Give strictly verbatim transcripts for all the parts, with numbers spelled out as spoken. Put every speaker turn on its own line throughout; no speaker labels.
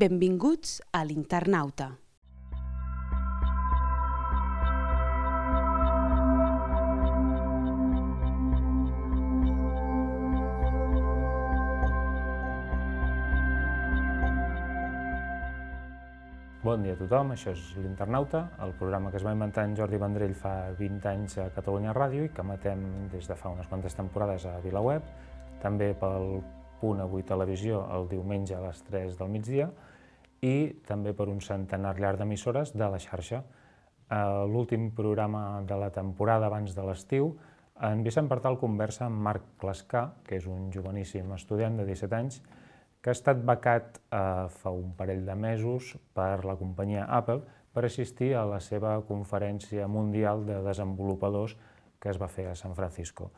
Benvinguts a l'Internauta.
Bon dia a tothom, això és l'Internauta, el programa que es va inventar en Jordi Vendrell fa vint anys a Catalunya Ràdio i que emetem des de fa unes quantes temporades a VilaWeb, també pel Punt Avui Televisió el diumenge a les tres del migdia i també per un centenar llarg d'emissores de la xarxa. L'últim programa de la temporada abans de l'estiu, en Vicent Partal conversa amb Marc Clascar, que és un joveníssim estudiant de disset anys, que ha estat becat eh, fa un parell de mesos per la companyia Apple per assistir a la seva conferència mundial de desenvolupadors que es va fer a San Francisco.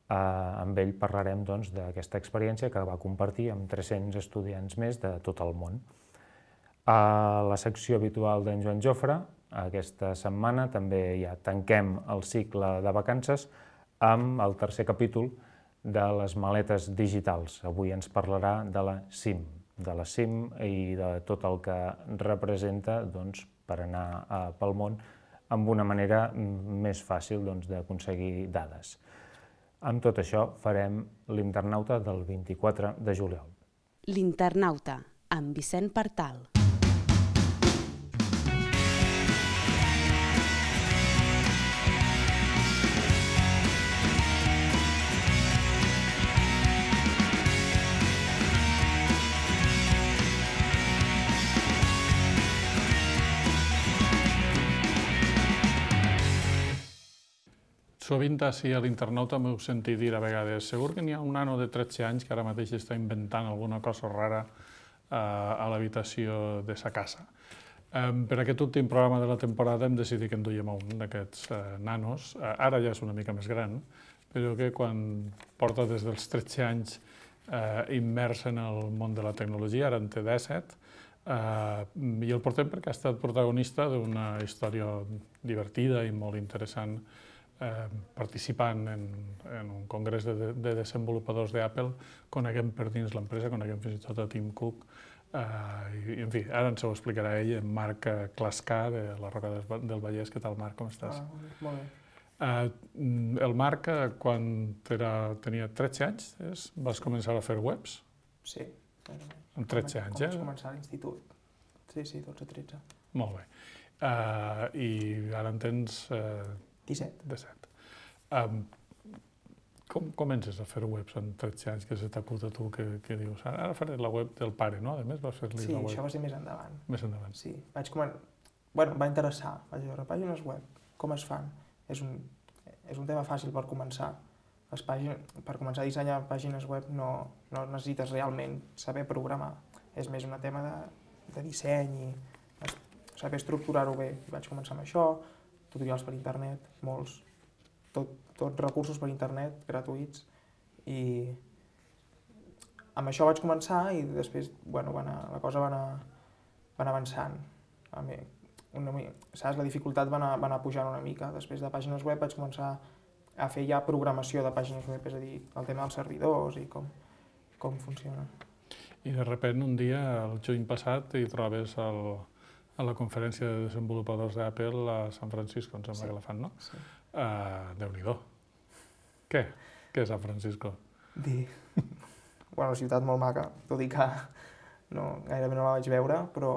Eh, amb ell parlarem doncs, d'aquesta experiència que va compartir amb tres-cents estudiants més de tot el món. A la secció habitual d'en Joan Jofre, aquesta setmana també ja tanquem el cicle de vacances amb el tercer capítol de les maletes digitals. Avui ens parlarà de la SIM, de la SIM i de tot el que representa doncs, per anar eh, pel món amb una manera més fàcil doncs, d'aconseguir dades. Amb tot això farem l'Internauta del vint-i-quatre de juliol.
L'Internauta, amb Vicent Partal.
Sovint així a l'Internauta m'heu sentit dir a vegades segur que n'hi ha un nano de tretze anys que ara mateix està inventant alguna cosa rara eh, a l'habitació de sa casa. Eh, per aquest últim programa de la temporada hem decidit que en duiem un d'aquests eh, nanos. Eh, ara ja és una mica més gran, però que quan porta des dels tretze anys eh, immers en el món de la tecnologia, ara en té disset, eh, i el portem perquè ha estat protagonista d'una història divertida i molt interessant Eh, participant en, en un congrés de, de desenvolupadors d'Apple, coneguem per dins l'empresa, coneguem fins i tot a Tim Cook, eh, i, en fi, ara ens ho explicarà ell, en Marc Clascar, de la Roca del Vallès. Què tal, Marc, com estàs?
Ah, molt bé.
Eh, el Marc, quan era, tenia tretze anys, és, vas començar a fer webs?
Sí.
Amb tretze anys, eh?
Vaig començar a l'institut. Sí, sí, dotze tretze.
Molt bé. Eh, I ara en tens... Eh,
disset.
disset. Um, com comences a fer webs amb tretze anys, que se t'acut a tu, que, que dius, ara faré la web del pare, no? A més, vas fer-li
sí,
la web.
Sí, això va ser més endavant.
Més endavant.
Sí, vaig començar... Bueno, em va interessar. Vaig veure pàgines web, com es fan. És un, és un tema fàcil per començar. Les pàgines, per començar a dissenyar pàgines web no, no necessites realment saber programar. És més un tema de, de disseny i saber estructurar-ho bé. Vaig començar amb això, tutorials per internet, molts, tot, tot recursos per internet, gratuïts, i amb això vaig començar i després, bueno, va anar, la cosa va anar, va anar avançant. A mi, una, saps, la dificultat va anar, va anar pujant una mica. Després de pàgines web vaig començar a fer ja programació de pàgines web, és a dir, el tema dels servidors i com, com funciona.
I de sobte un dia, el juny passat, hi trobes el... a la conferència de desenvolupadors d'Apple a San Francisco, em sembla sí. que la fan, no?
Sí.
Uh, Déu-n'hi-do. Què? Què és San Francisco?
Dir... bueno, una ciutat molt maca, tot i que no, gairebé no la vaig veure, però...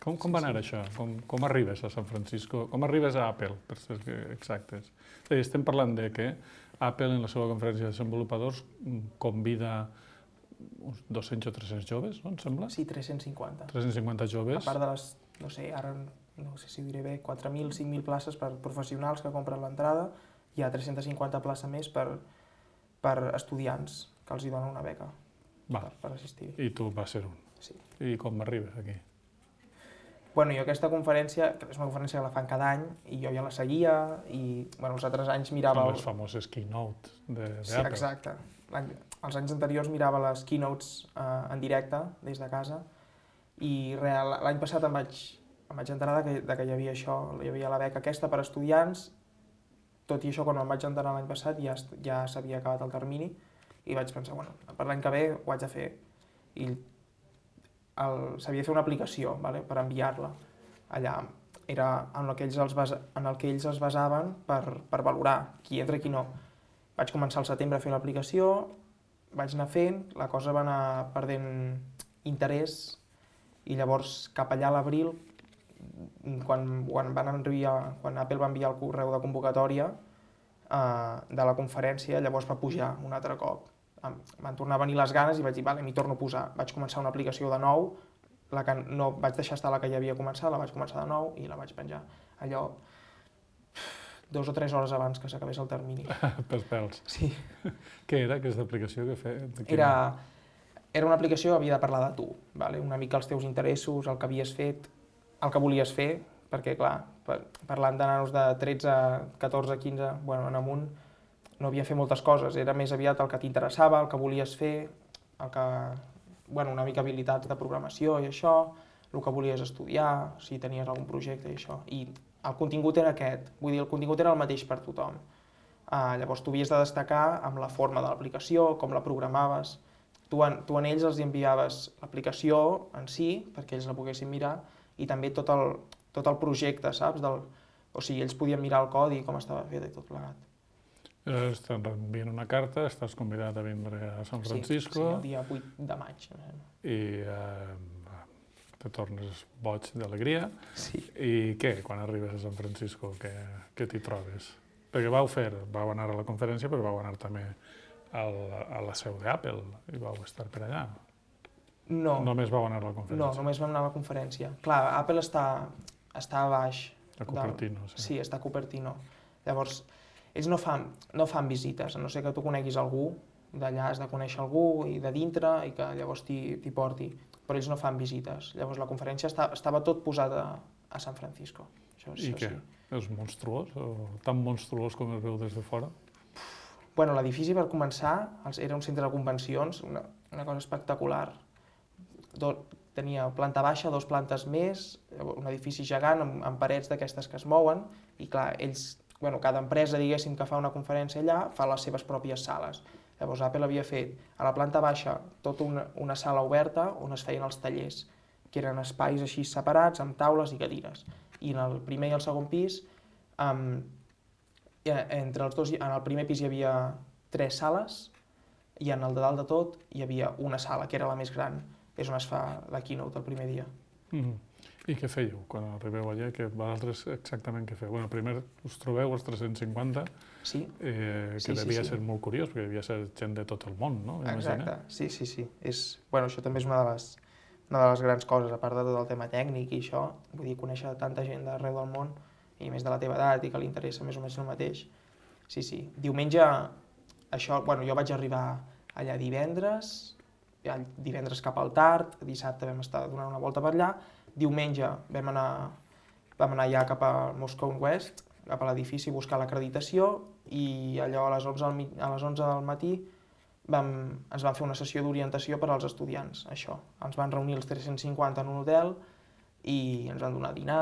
Com, com sí, va anar sí. això? Com, com arribes a San Francisco? Com arribes a Apple, per ser exactes? És dir, estem parlant de que Apple, en la seva conferència de desenvolupadors, convida uns dos-cents o tres-cents joves, no, em sembla?
Sí, tres-cents cinquanta.
tres-cents cinquanta joves.
A part de les, no sé, ara no sé si ho diré bé, quatre mil, cinc mil places per professionals que compren l'entrada, hi ha tres-cents cinquanta places més per, per estudiants que els hi donen una beca per, per assistir.
I tu vas ser un.
Sí.
I com arribes aquí?
Bueno, jo aquesta conferència, que és una conferència que la fan cada any, i jo ja la seguia, i bueno, els altres anys mirava...
Són les famoses keynote d'Apple.
Sí, exacte. Els anys anteriors mirava les keynotes eh, en directe, des de casa, i l'any passat em vaig, em vaig enterar de que, de que hi havia això, hi havia la beca aquesta per estudiants, tot i això, quan em vaig enterar l'any passat ja, ja s'havia acabat el termini, i vaig pensar, bueno, per l'any que ve ho haig de fer. I s'havia de fer una aplicació, vale? Per enviar-la. Allà era en el que ells, els basa, en el que ells es basaven per, per valorar qui entra i qui no. Vaig començar al setembre a fer l'aplicació, vaig anar fent, la cosa va anar perdent interès i llavors cap allà a l'abril, quan, quan, van enviar, quan Apple va enviar el correu de convocatòria eh, de la conferència, llavors va pujar un altre cop. Em van tornar a venir les ganes i vaig dir, vale, m'hi torno a posar. Vaig començar una aplicació de nou, la que no vaig deixar estar la que ja havia començat, la vaig començar de nou i la vaig penjar. Allò, dos o tres hores abans que s'acabés el termini.
Per pèls.
Sí.
Què era aquesta aplicació que feia?
Era, era una aplicació que havia de parlar de tu, vale? Una mica els teus interessos, el que havies fet, el que volies fer, perquè clar, parlant de nanos de tretze, catorze, quinze, bueno, en amunt, no havia fet moltes coses, era més aviat el que t'interessava, el que volies fer, el que, bueno, una mica habilitats de programació i això, el que volies estudiar, si tenies algun projecte i això. I el contingut era aquest, vull dir, el contingut era el mateix per tothom. Uh, llavors tu havies de destacar amb la forma de l'aplicació, com la programaves. Tu en, tu en ells els enviaves l'aplicació en si, perquè ells la poguessin mirar, i també tot el, tot el projecte, saps? Del, o sigui, ells podien mirar el codi i com estava fet i tot plegat.
Llavors t'envien una carta, estàs convidat a vindre a San Francisco.
Sí, sí, el dia vuit de maig.
I eh, te tornes boig d'alegria.
Sí.
I què, quan arribes a San Francisco, què, què t'hi trobes? Perquè vau fer, vau anar a la conferència, però vau anar també al, a la seu d'Apple i vau estar per allà.
No.
Només vau anar a la conferència?
No, només vam anar a la conferència. Clar, Apple està, està a baix.
A Cupertino,
del...
sí.
Sí, està a Cupertino. Llavors, ells no fan, no fan visites, a no ser que tu coneguis algú, d'allà has de conèixer algú i de dintre i que llavors t'hi porti, però ells no fan visites. Llavors la conferència està, estava tot posat a, a San Francisco. Això,
I
això
què?
Sí.
És monstruós? O tan monstruós com es veu des de fora?
Bueno, l'edifici per començar era un centre de convencions, una, una cosa espectacular. Do, tenia planta baixa, dos plantes més, un edifici gegant amb, amb parets d'aquestes que es mouen i clar, ells, bueno, cada empresa diguéssim que fa una conferència allà fa les seves pròpies sales. Llavors Apple havia fet a la planta baixa tota una, una sala oberta on es feien els tallers, que eren espais així separats amb taules i cadires. I en el primer i el segon pis, um, entre els dos, en el primer pis hi havia tres sales i en el de dalt de tot hi havia una sala, que era la més gran. És on es fa la keynote el primer dia.
Mm-hmm. I què fèieu quan arribeu allà? Que vosaltres exactament què feu? Bueno, primer us trobeu els tres-cents cinquanta,
sí.
eh, que
sí,
devia
sí, sí.
ser molt curiós, perquè devia ser gent de tot el món, no?
Exacte, sí, sí, sí. És, bueno, això també és una de, les, una de les grans coses, a part de tot el tema tècnic i això, vull dir, conèixer tanta gent d'arreu del món, i més de la teva edat i que li interessa més o menys el mateix. Sí, sí. Diumenge, això, bueno, jo vaig arribar allà divendres, divendres cap al tard, dissabte vam estar donant una volta per allà, diumenge vam anar, vam anar ja cap a Moscone West, cap a l'edifici, a buscar l'acreditació i allò a les onze, a les onze del matí vam, ens van fer una sessió d'orientació per als estudiants, això. Ens van reunir els tres-cents cinquanta en un hotel i ens van donar dinar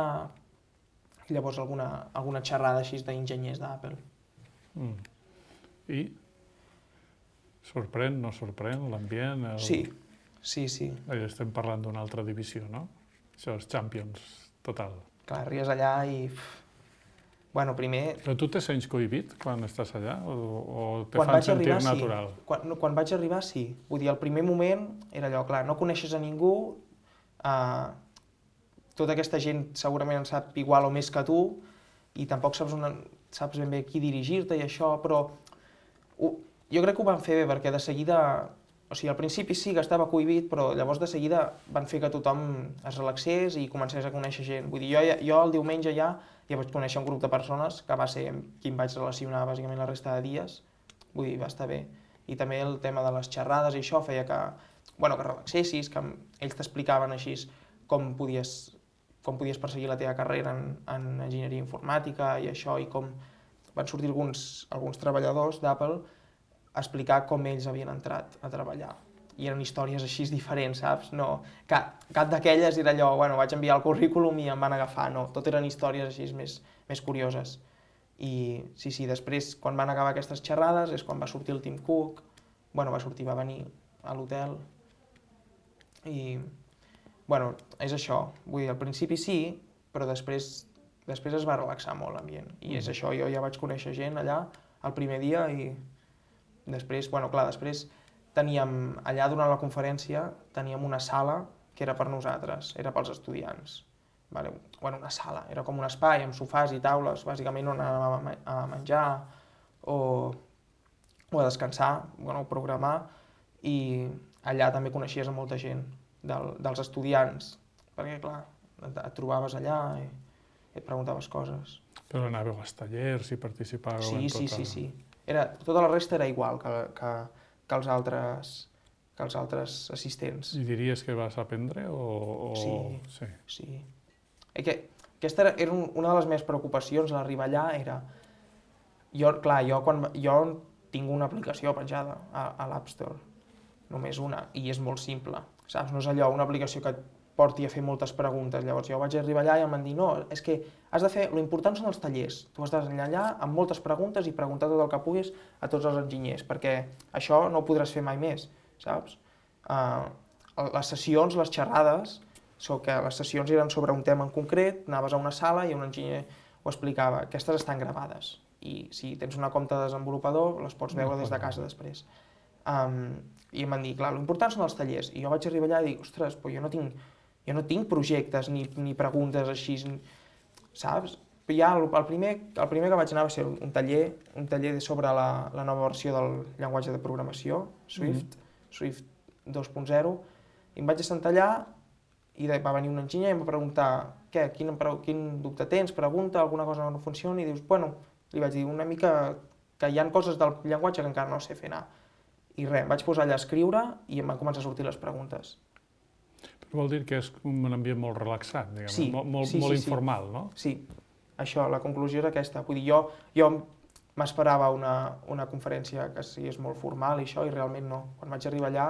i llavors alguna, alguna xerrada així d'enginyers d'Apple.
Mm. I? Sorprèn, no sorprèn, l'ambient? El...
Sí, sí, sí.
Allà estem parlant d'una altra divisió, no? Això és Champions, total.
Clar, arribes allà i... Bueno, primer...
Però tu te sents cohibit quan estàs allà? O, o te
quan
fan
vaig
sentir
arribar,
natural?
Sí. Quan, no, quan vaig arribar, sí. Vull dir, el primer moment era allò, clar, no coneixes a ningú, eh, tota aquesta gent segurament en sap igual o més que tu, i tampoc saps, una, saps ben bé a qui dirigir-te i això, però... Uh, jo crec que ho van fer bé, perquè de seguida... O sigui, al principi sí que estava cohibit, però llavors de seguida van fer que tothom es relaxés i comencés a conèixer gent. Vull dir, jo, jo el diumenge ja, ja vaig conèixer un grup de persones que va ser amb qui em vaig relacionar bàsicament la resta de dies. Vull dir, va estar bé. I també el tema de les xerrades i això feia que, bueno, que relaxessis, que ells t'explicaven així com podies, com podies perseguir la teva carrera en, en enginyeria informàtica i això, i com van sortir alguns, alguns treballadors d'Apple a explicar com ells havien entrat a treballar. I eren històries així diferents, saps? No, cap cap d'aquelles era allò, bueno, vaig enviar el currículum i em van agafar, no. Tot eren històries així més, més curioses. I sí, sí, després, quan van acabar aquestes xerrades, és quan va sortir el Tim Cook, bueno, va sortir, va venir a l'hotel, i bueno, és això. Vull dir, al principi sí, però després, després es va relaxar molt l'ambient. I és això, jo ja vaig conèixer gent allà el primer dia i després, bueno, clar, després teníem, allà durant la conferència, teníem una sala que era per nosaltres, era pels estudiants. Vale? Bueno, una sala, era com un espai amb sofàs i taules, bàsicament on anàvem a menjar o, o a descansar, bueno, a programar, i allà també coneixies a molta gent del, dels estudiants, perquè clar, et, et trobaves allà i, i et preguntaves coses.
Però anàveu als tallers i participàveu
sí,
en tota...
Sí, sí, sí. Era, tota la resta era igual que, que, que, els altres, que els altres assistents.
I diries que vas aprendre o...? o...
Sí,
sí.
sí. Que, aquesta era, era una de les meves preocupacions a l'arribar allà, era... Jo, clar, jo, quan, jo tinc una aplicació penjada a, a l'App Store, només una, i és molt simple, saps? No és allò, una aplicació que et porti a fer moltes preguntes. Llavors jo vaig arribar allà i em van dir no, és que has de fer, l'important són els tallers. Tu has d'anar allà amb moltes preguntes i preguntar tot el que puguis a tots els enginyers, perquè això no ho podràs fer mai més, saps? Uh, les sessions, les xerrades, so que les sessions eren sobre un tema en concret, anaves a una sala i un enginyer ho explicava. Aquestes estan gravades i si tens una compte de desenvolupador les pots veure des de casa després. Um, I em van dir, clar, l'important són els tallers. I jo vaig arribar allà i dic, ostres, però jo no tinc, jo no tinc projectes ni, ni preguntes així, saps? Ja el, el, primer, el primer que vaig anar va ser un taller, un taller sobre la, la nova versió del llenguatge de programació, Swift, mm-hmm. Swift dos punt zero, i em vaig assentar allà i va venir un enginyer i em va preguntar què, quin, quin dubte tens, pregunta, alguna cosa no funciona, i dius, bueno, li vaig dir una mica que hi ha coses del llenguatge que encara no sé fer anar. I res, em vaig posar allà a escriure i em van començar a sortir les preguntes.
Però vol dir que és un ambient molt relaxat, diguem,
sí,
molt, molt,
sí,
molt
sí,
informal,
sí.
no?
Sí, això, la conclusió és aquesta. Vull dir, jo, jo m'esperava una, una conferència que sigués molt formal i això, i realment no. Quan vaig arribar allà,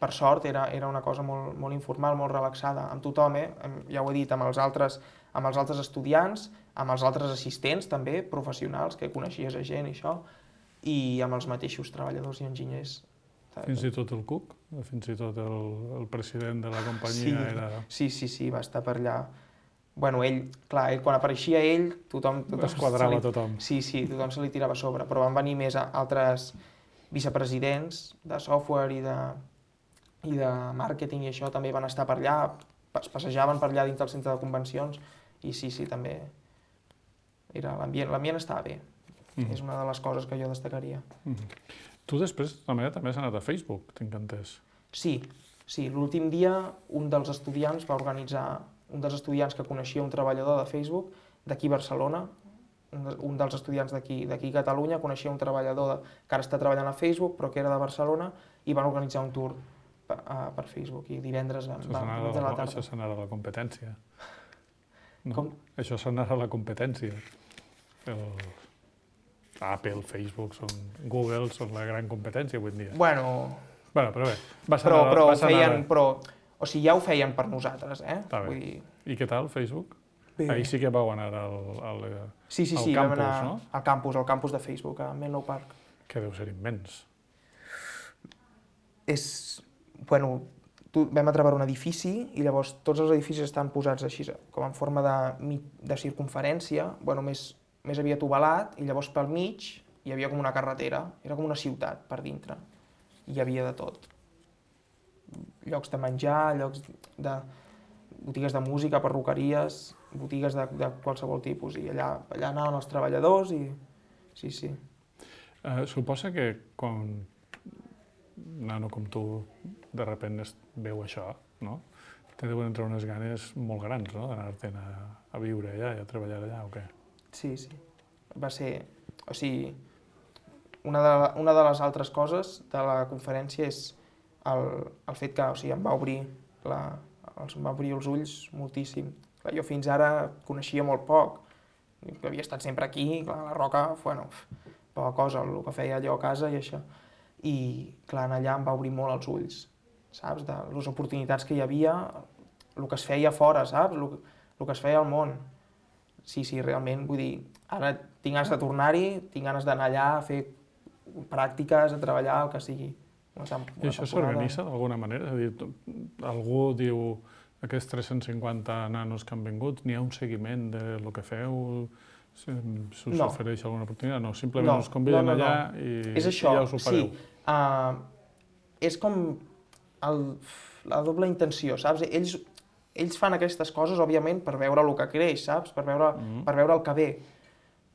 per sort, era, era una cosa molt, molt informal, molt relaxada, amb tothom, eh? Ja ho he dit, amb els, altres, amb els altres estudiants, amb els altres assistents també, professionals, que coneixies a gent i això, i amb els mateixos treballadors i enginyers.
Fins i tot el Cook? Fins i tot el, el president de la companyia
sí,
era...
Sí, sí, sí, va estar per allà. Bueno, ell, clar, ell, quan apareixia ell, tothom... tothom
es quadrava
li,
tothom.
Sí, sí, tothom se li tirava a sobre, però van venir més altres vicepresidents de software i de, i de màrqueting i això també van estar per allà, es passejaven per allà dins del centre de convencions i sí, sí, també era l'ambient, l'ambient estava bé. Mm-hmm. És una de les coses que jo destacaria.
Mm-hmm. Tu després també també has anat a Facebook, tinc entès.
Sí, sí, l'últim dia un dels estudiants va organitzar, un dels estudiants que coneixia un treballador de Facebook d'aquí a Barcelona, un dels estudiants d'aquí d'aquí a Catalunya coneixia un treballador de, que ara està treballant a Facebook però que era de Barcelona i van organitzar un tour per, uh, per Facebook i divendres van,
això
van, van
la,
de la tarda.
això s'anarà a la competència. No?
Com?
Això s'anarà a la competència. El... Apple, Facebook, són Google, són la gran competència avui en dia.
Bueno,
bueno però bé, vas
però,
anar,
però,
vas anar...
feien, però, o sigui, ja ho feien per nosaltres, eh?
Està bé.
Vull dir...
I què tal, Facebook?
Bé.
Ahir sí que vau anar al, al,
sí, sí,
al
sí,
campus,
vam anar
no?
Al campus, al campus de Facebook, a Menlo Park.
Que deu ser immens.
És, bueno, tu, vam atravar un edifici i llavors tots els edificis estan posats així, com en forma de, de circunferència, bueno, més, més aviat ovalat, i llavors pel mig hi havia com una carretera, era com una ciutat per dintre, i hi havia de tot. Llocs de menjar, llocs de botigues de música, perruqueries, botigues de, de qualsevol tipus, i allà, allà anaven els treballadors i... Sí, sí.
Uh, suposa que quan un nano com tu de repente veu això, no? Te deuen entrar unes ganes molt grans, no?, d'anar-te'n a, a viure allà i a treballar allà, o què?
Sí, sí. Va ser... O sigui, una de, una de les altres coses de la conferència és el, el fet que, o sigui, em va obrir la, els, em va obrir els ulls moltíssim. Clar, jo fins ara coneixia molt poc. Havia estat sempre aquí, clar, la Roca, bueno, poca cosa, el que feia allò a casa i això. I, clar, allà em va obrir molt els ulls, saps? De les oportunitats que hi havia, el que es feia fora, saps? El, el que es feia al món. Sí, sí, realment, vull dir, ara tinc ganes de tornar-hi, tinc ganes d'anar allà a fer pràctiques, a treballar, el que sigui. una, tem una
I això s'organitza d'alguna manera? És a dir, algú diu aquests tres-cents cinquanta nanos que han vingut, n'hi ha un seguiment del que feu? S'us
No.
ofereix alguna oportunitat? No, simplement
No,
us conviden
no, no, no.
allà i,
És això,
i ja us ho fareu.
sí. Uh, és com el, la doble intenció, saps? Ells, ells fan aquestes coses, òbviament, per veure el que creix, saps? Per veure,
Mhm.
per veure el que ve.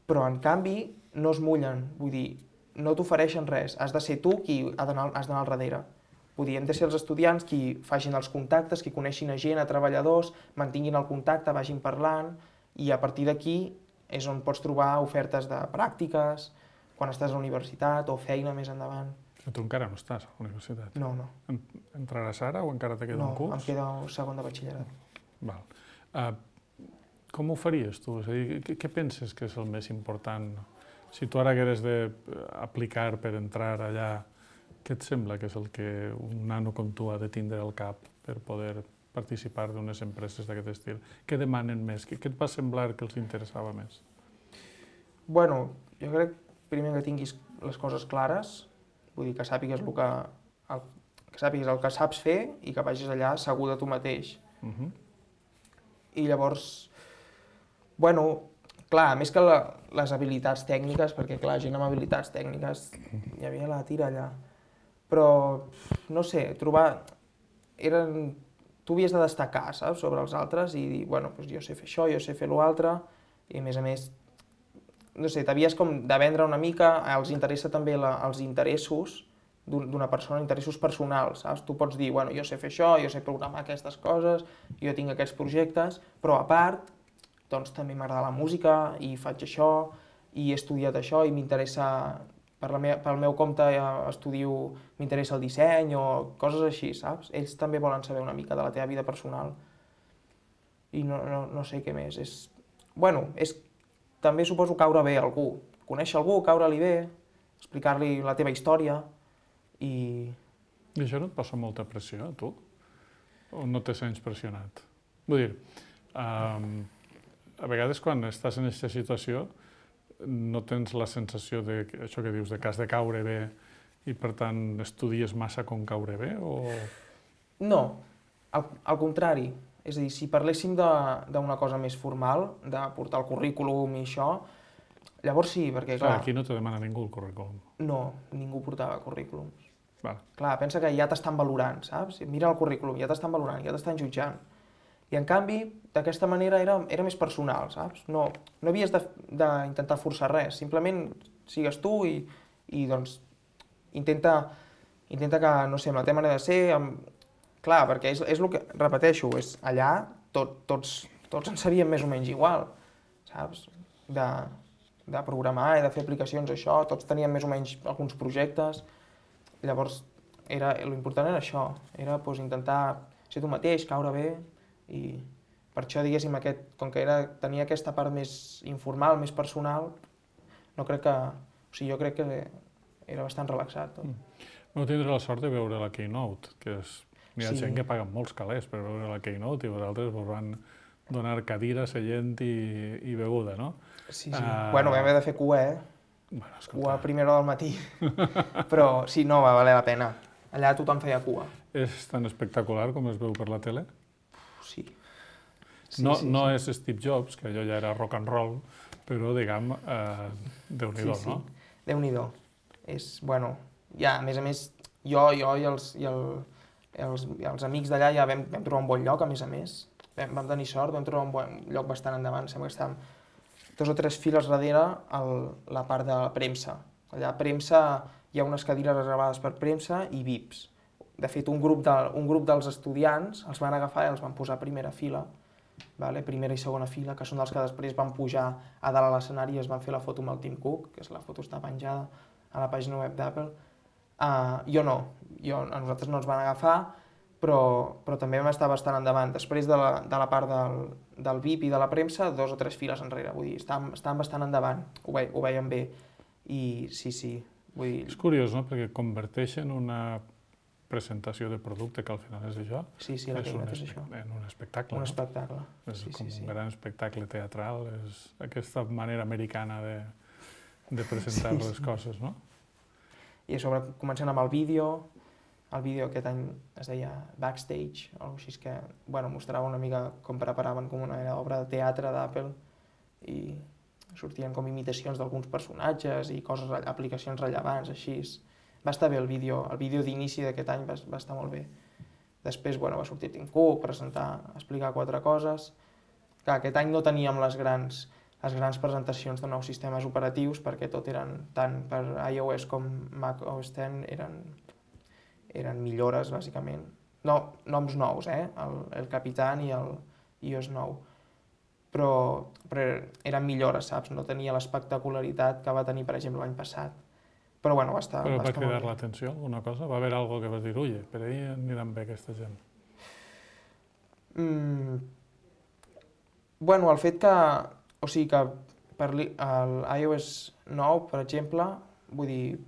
Però, en canvi, no es mullen. Vull dir, no t'ofereixen res. Has de ser tu qui ha d'anar has d'anar al darrere. Vull dir, hem de ser els estudiants qui facin els contactes, qui coneixin a gent, a treballadors, mantinguin el contacte, vagin parlant, i a partir d'aquí és on pots trobar ofertes de pràctiques, quan estàs a la universitat, o feina més endavant.
Però tu encara no estàs a la universitat.
No, no.
En- Entraràs ara o encara te queda
No,
un curs?
em queda un segon de batxillerat.
Val. Uh, com ho faries tu? És a dir, què, què penses que és el més important? Si tu ara hagueres d'aplicar per entrar allà, què et sembla que és el que un nano com tu ha de tindre al cap per poder participar d'unes empreses d'aquest estil? Què demanen més? Què, què et va semblar que els interessava més?
Bueno, jo crec primer que tinguis les coses clares, vull dir que sàpigues el que, el, que sàpigues el que saps fer i que vagis allà segur de tu mateix.
Uh -huh.
I llavors, bueno, clar, més que la, les habilitats tècniques, perquè clar, gent amb habilitats tècniques, hi havia la tira allà, però, no sé, trobar... Eren... Tu havies de destacar, saps?, sobre els altres i dir, bueno, doncs jo sé fer això, jo sé fer l'altre, i a més a més, no sé, t'havies com de vendre una mica, els interessa també la, els interessos d'una persona, interessos personals, saps? Tu pots dir, bueno, jo sé fer això, jo sé programar aquestes coses, jo tinc aquests projectes, però a part, doncs també m'agrada la música i faig això, i he estudiat això i m'interessa, per la meva, pel meu compte estudio, m'interessa el disseny o coses així, saps? Ells també volen saber una mica de la teva vida personal. I no, no, no sé què més. És, bueno, és també suposo caure bé a algú. Conèixer algú, caure-li bé, explicar-li la teva història i...
I això no et posa molta pressió, a tu? O no te sents pressionat? Vull dir, um, a vegades quan estàs en aquesta situació no tens la sensació de això que dius, de que has de caure bé i per tant estudies massa com caure bé o...?
No, al, al contrari. És a dir, si parléssim d'una cosa més formal, de portar el currículum i això, llavors sí, perquè clar...
Clar, aquí no te demana ningú el currículum.
No, ningú portava currículums.
Val.
Clar, pensa que ja t'estan valorant, saps? Mira el currículum, ja t'estan valorant, ja t'estan jutjant. I en canvi, d'aquesta manera era, era més personal, saps? No, no havies d'intentar forçar res, simplement sigues tu i, i doncs intenta, intenta que, no sé, amb la teva manera de ser, amb... clar, perquè és, és el que, repeteixo, és allà tot, tots, tots en sabíem més o menys igual, saps? De, de programar i de fer aplicacions, això, tots teníem més o menys alguns projectes, llavors era, l'important era això, era doncs, intentar ser tu mateix, caure bé, i per això, diguéssim, aquest, com que era, tenia aquesta part més informal, més personal, no crec que... O sigui, jo crec que era bastant relaxat tot.
Mm. Vau tindre la sort de veure la Keynote, que és... Hi ha
Sí.
gent que paga molts calés per veure la Keynote i vosaltres vos van donar cadira, seient i, i beguda, no?
Sí, sí.
Uh...
Bueno, vam haver de fer cua, eh?
Bueno, escolta,
Cua a primera hora del matí. Però sí, no, va valer la pena. Allà tothom feia cua.
és tan espectacular com es veu per la tele?
Sí. Sí,
no
sí,
no
sí.
és Steve Jobs, que allò ja era rock and roll, però, diguem, eh, Déu-n'hi-do,
sí, sí.
no?
Déu-n'hi-do. És, bueno, ja, a més a més, jo, jo i els, i el, els, i els amics d'allà ja vam, vam trobar un bon lloc, a més a més. Vam, vam tenir sort, vam trobar un bon lloc bastant endavant. Sembla que estàvem dos o tres files darrere el, la part de la premsa. Allà a premsa hi ha unes cadires reservades per premsa i V I Ps. De fet, un grup, de, un grup dels estudiants els van agafar i els van posar a primera fila, vale? Primera i segona fila, que són dels que després van pujar a dalt a l'escenari i es van fer la foto amb el Tim Cook, que és la foto està penjada a la pàgina web d'Apple. Uh, jo no, jo, a nosaltres no ens van agafar, però, però també vam estar bastant endavant. Després de la, de la part del, del V I P i de la premsa, dos o tres files enrere, vull dir, estàvem, estàvem bastant endavant, ho, ve, ho veiem bé. I sí, sí, vull dir...
És curiós, no?, perquè converteixen una presentació de producte, que al final és això,
Sí, sí, la
és un,
és
espe
això.
en un espectacle,
Un
no?
espectacle.
És
Sí,
com
sí, sí.
un gran espectacle teatral, és aquesta manera americana de, de presentar
Sí,
les
sí.
coses, no?
I a sobre comencen amb el vídeo, el vídeo aquest any es deia Backstage, o alguna cosa així, que bueno, mostrava una mica com preparaven com una obra de teatre d'Apple i sortien com imitacions d'alguns personatges i coses, aplicacions rellevants, així. Va estar bé el vídeo, el vídeo d'inici d'aquest any va, va estar molt bé. Després, bueno, va sortir Tim Cook, presentar, explicar quatre coses. Clar, aquest any no teníem les grans, les grans presentacions de nous sistemes operatius perquè tot eren, tant per iOS com Mac O S deu, eren, eren millores, bàsicament. No, noms nous, eh? El, el Capitan i el iOS nou. Però, però eren millores, saps? No tenia l'espectacularitat que va tenir, per exemple, l'any passat. Però bueno, va estar...
Però
va
va
estar
cridar l'atenció alguna cosa? Va haver alguna que vas dir, ui, per ahí aniran bé aquesta gent?
Mm. Bueno, el fet que... O sigui que per l'iOS nou, per exemple, vull dir,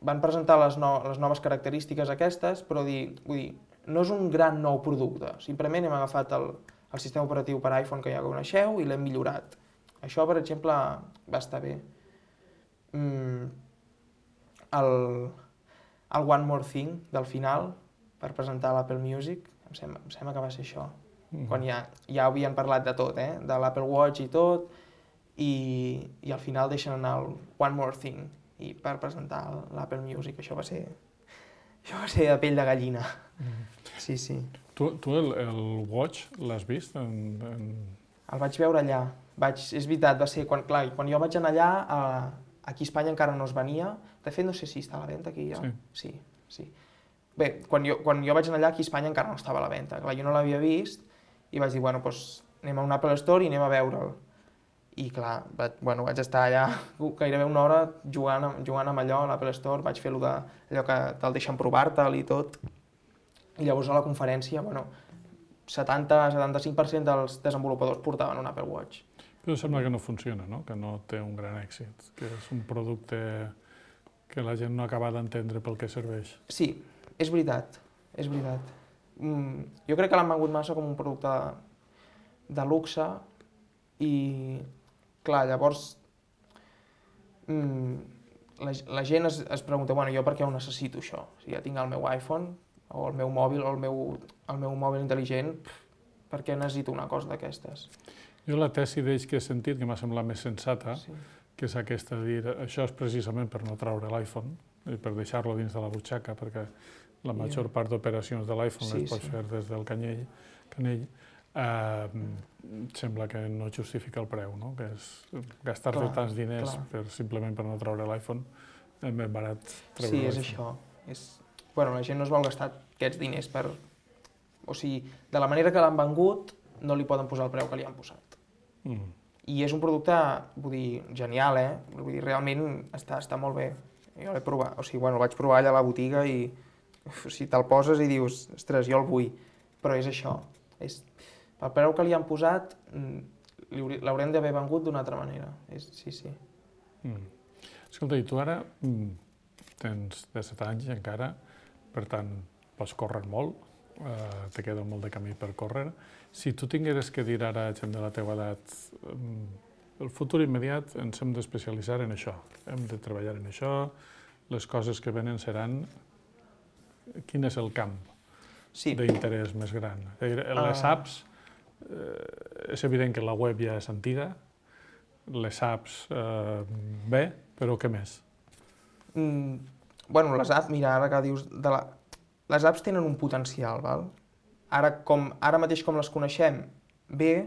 van presentar les, no, les noves característiques aquestes, però dir, vull dir, no és un gran nou producte. Simplement hem agafat el, el sistema operatiu per iPhone que ja coneixeu i l'hem millorat. Això, per exemple, va estar bé. Mm. El, el One More Thing del final, per presentar l'Apple Music, em sembla, em sembla que va ser això. Mm. Quan ja, ja havien parlat de tot, eh? De l'Apple Watch i tot, i, i al final deixen anar el One More Thing i per presentar l'Apple Music. Això va ser, això va ser de pell de gallina. Mm. Sí, sí.
Tu, tu el, el Watch l'has vist? En, en...
El vaig veure allà. Vaig, és veritat, va ser quan, clar, quan jo vaig anar allà, eh, aquí a Espanya encara no es venia. De fet, no sé si està a la venda aquí ja.
Sí.
Sí, sí. Bé, quan jo, quan jo vaig anar allà, aquí a Espanya encara no estava a la venda. Clar, jo no l'havia vist i vaig dir, bueno, doncs anem a un Apple Store i anem a veure'l. I clar, vaig, bueno, vaig estar allà gairebé una hora jugant, jugant amb allò a l'Apple Store, vaig fer allò, de, allò que te'l deixen provar-te'l i tot. I llavors a la conferència, bueno, setanta a setanta-cinc per cent dels desenvolupadors portaven un Apple Watch.
Però sembla que no funciona, no? Que no té un gran èxit, que és un producte que la gent no acaba d'entendre pel que serveix.
Sí, és veritat, és veritat. Mm, jo crec que l'han vengut massa com un producte de, de luxe i, clar, llavors mm, la, la gent es, es pregunta, bueno, jo per què ho necessito això? Si ja tinc el meu iPhone o el meu mòbil o el meu, el meu mòbil intel·ligent, per què necessito una cosa d'aquestes?
Jo la tesi d'ells que he sentit, que m'ha semblat més sensata, sí, que és aquesta de dir, això és precisament per no traure l'iPhone, i per deixar-lo dins de la butxaca, perquè la major yeah. part d'operacions de l'iPhone sí, les pots sí. fer des del canyell, canell, eh, sembla que no justifica el preu, no? Que és gastar-te tants diners per, simplement per no traure l'iPhone, és més barat treure
sí,
l'iPhone.
Sí, és això. És... Bueno, la gent no es vol gastar aquests diners per... O sigui, de la manera que l'han vengut, no li poden posar el preu que li han posat. Mm. I és un producte, vull dir, genial, eh? Vull dir, realment està, està molt bé. Jo l'he provat, o sigui, bueno, el vaig provar allà a la botiga i uf, o sigui, te'l poses i dius, ostres, jo el vull. Però és això. És... El preu que li han posat l'haurem d'haver vengut d'una altra manera. És... Sí, sí.
Mm. Escolta, i tu ara mm, tens disset anys encara, per tant, pots córrer molt, eh, te queda molt de camí per córrer. Si tu tingueres que dir ara a gent de la teva edat, el futur immediat ens hem d'especialitzar en això, hem de treballar en això, les coses que venen seran... Quin és el camp sí. d'interès més gran? Les apps, eh, és evident que la web ja és antiga, les apps eh, bé, però què més?
Mm, bueno, les apps, mira, ara que dius... De la... Les apps tenen un potencial, val? Ara, com, ara mateix com les coneixem, bé,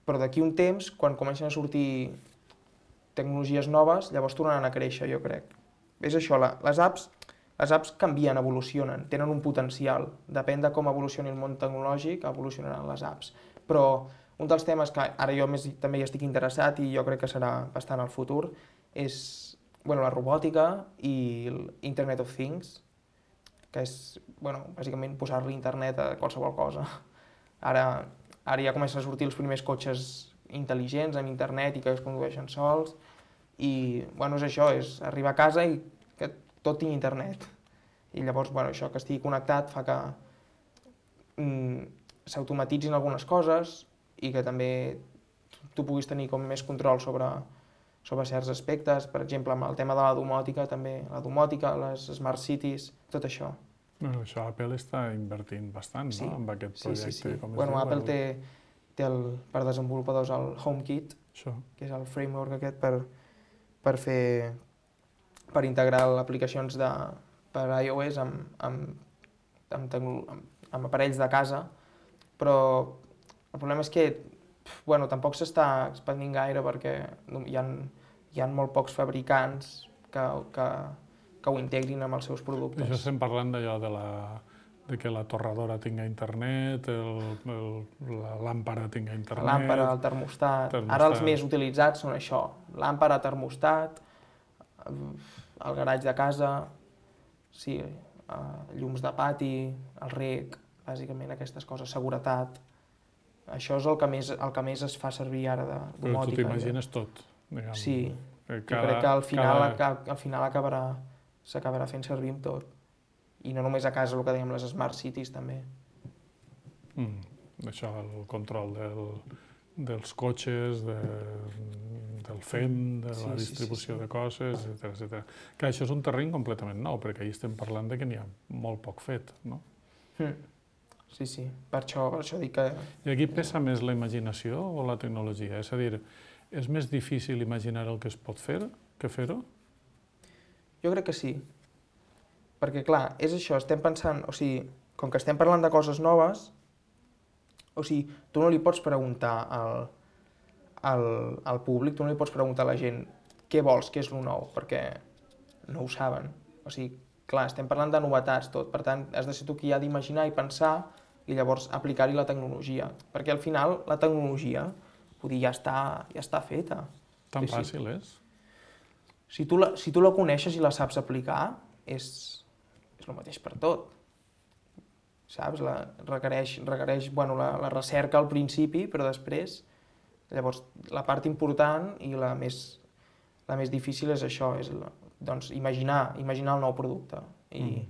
però d'aquí un temps, quan comencen a sortir tecnologies noves, llavors tornaran a créixer, jo crec. És això, la, les apps, les apps canvien, evolucionen, tenen un potencial. Depèn de com evolucioni el món tecnològic, evolucionaran les apps. Però un dels temes que ara jo més, també hi estic interessat i jo crec que serà bastant al futur és bueno, la robòtica i l'Internet of Things, que és, bueno, bàsicament posar-li internet a qualsevol cosa. Ara, ara ja comencen a sortir els primers cotxes intel·ligents amb internet i que es condueixen sols i, bueno, és això, és arribar a casa i que tot tingui internet. I llavors, bueno, això que estigui connectat fa que mm, s'automatitzin algunes coses i que també tu puguis tenir com més control sobre, sobre certs aspectes, per exemple, amb el tema de la domòtica també, la domòtica, les smart cities, tot això.
Bueno, això Apple està invertint bastant,
Sí,
no?, amb aquest
Sí,
projecte.
sí, sí.
Com es
Bueno,
diu?
Apple
El-
té, té el, per desenvolupadors el HomeKit,
Això.
que és el framework aquest per, per fer, per integrar aplicacions de, per iOS amb, amb, amb, tecno- amb, amb aparells de casa, però el problema és que pf, bueno, tampoc s'està expandint gaire perquè hi ha, hi ha molt pocs fabricants que, que, que ho integrin amb els seus productes.
Això estem parlant d'allò de, la, de que la torradora tinga internet, el, el, la làmpara tinga
La
internet...
làmpara, el termostat.
termostat.
Ara els més utilitzats són això, làmpara, termostat, el garatge de casa, sí, eh, llums de pati, el rec, bàsicament aquestes coses, seguretat. Això és el que més, el que més es fa servir ara de
Però tu
domòtica.
t'imagines tot, diguem.
Sí,
Eh,
jo crec que al final,
cada...
aca- al final acabarà, s'acabarà fent servir amb tot. I no només a casa, el que dèiem, les smart cities també.
Mm, això, el control del, dels cotxes, de, del F E M, de
Sí,
la
sí, sí,
distribució
sí.
de coses, etcètera, etcètera. Que això és un terreny completament nou, perquè ahir estem parlant de que n'hi ha molt poc fet, no?
Mm. Sí, sí, per això, per això dic que...
I aquí pesa més la imaginació o la tecnologia? És a dir, és més difícil imaginar el que es pot fer que fer-ho?
Jo crec que sí. Perquè, clar, és això, estem pensant... O sigui, com que estem parlant de coses noves, o sigui, tu no li pots preguntar al, al, al públic, tu no li pots preguntar a la gent què vols, què és lo nou, perquè no ho saben. O sigui, clar, estem parlant de novetats, tot. Per tant, has de ser tu qui ha d'imaginar i pensar i llavors aplicar-hi la tecnologia. Perquè al final la tecnologia, vull dir, ja està, ja està feta.
Tan
Sí, sí.
fàcil és?
Si tu, la, si tu la coneixes i la saps aplicar, és, és el mateix per tot. Saps? La, requereix requereix bueno, la, la recerca al principi, però després, llavors, la part important i la més, la més difícil és això, és la, doncs, imaginar, imaginar el nou producte i,
Mm.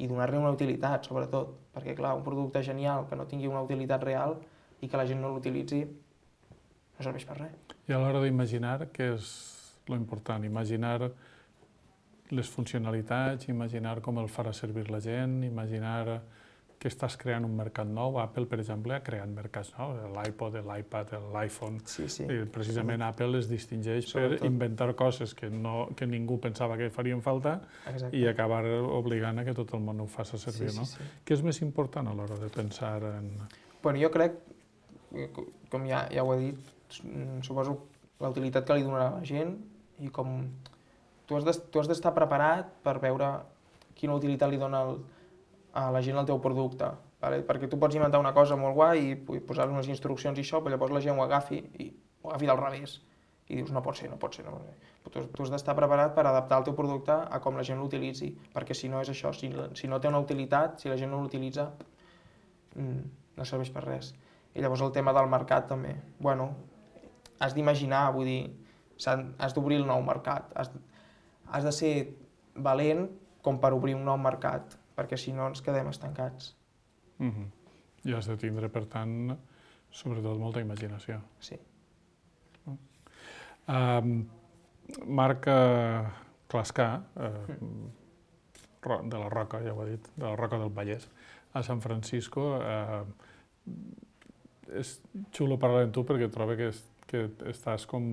i donar-li una utilitat, sobretot. Perquè, clar, un producte genial que no tingui una utilitat real i que la gent no l'utilitzi, no serveix per res.
I a l'hora d'imaginar, què és lo important? Imaginar les funcionalitats, imaginar com el farà servir la gent, imaginar que estàs creant un mercat nou. Apple, per exemple, ha creat mercats nous, l'iPod, l'iPad, l'iPhone.
Sí, sí.
I precisament Apple es distingeix
Sobretot.
per inventar coses que, no, que ningú pensava que farien falta
Exacte.
i acabar obligant a que tot el món ho faci servir,
sí,
no?
sí, sí.
Què és més important a l'hora de pensar en...
Bueno, jo crec, com ja, ja ho he dit, suposo la utilitat que li donarà a la gent i com tu has d'es- tu has d'estar preparat per veure quina utilitat li dona el, a la gent el teu producte. Vale? Perquè tu pots inventar una cosa molt guai i pu- posar unes instruccions i això, però llavors la gent ho agafi i ho agafi del revés. I dius, no pot ser, no pot ser, no pot ser. Tu, tu has d'estar preparat per adaptar el teu producte a com la gent l'utilitzi, perquè si no és això, si, la- si no té una utilitat, si la gent no l'utilitza, mm, no serveix per res. I llavors el tema del mercat també. Bueno, has d'imaginar, vull dir, s'han- has d'obrir el nou mercat. Has, has de ser valent com per obrir un nou mercat, perquè si no ens quedem estancats.
Mhm. I has de tindre, per tant, sobretot molta imaginació.
Sí.
Um, Marc uh, Clascar, uh, Ro- de la Roca, ja ho he dit, de la Roca del Vallès, a San Francisco. Uh, és xulo parlar amb tu perquè trobo que, es, que estàs com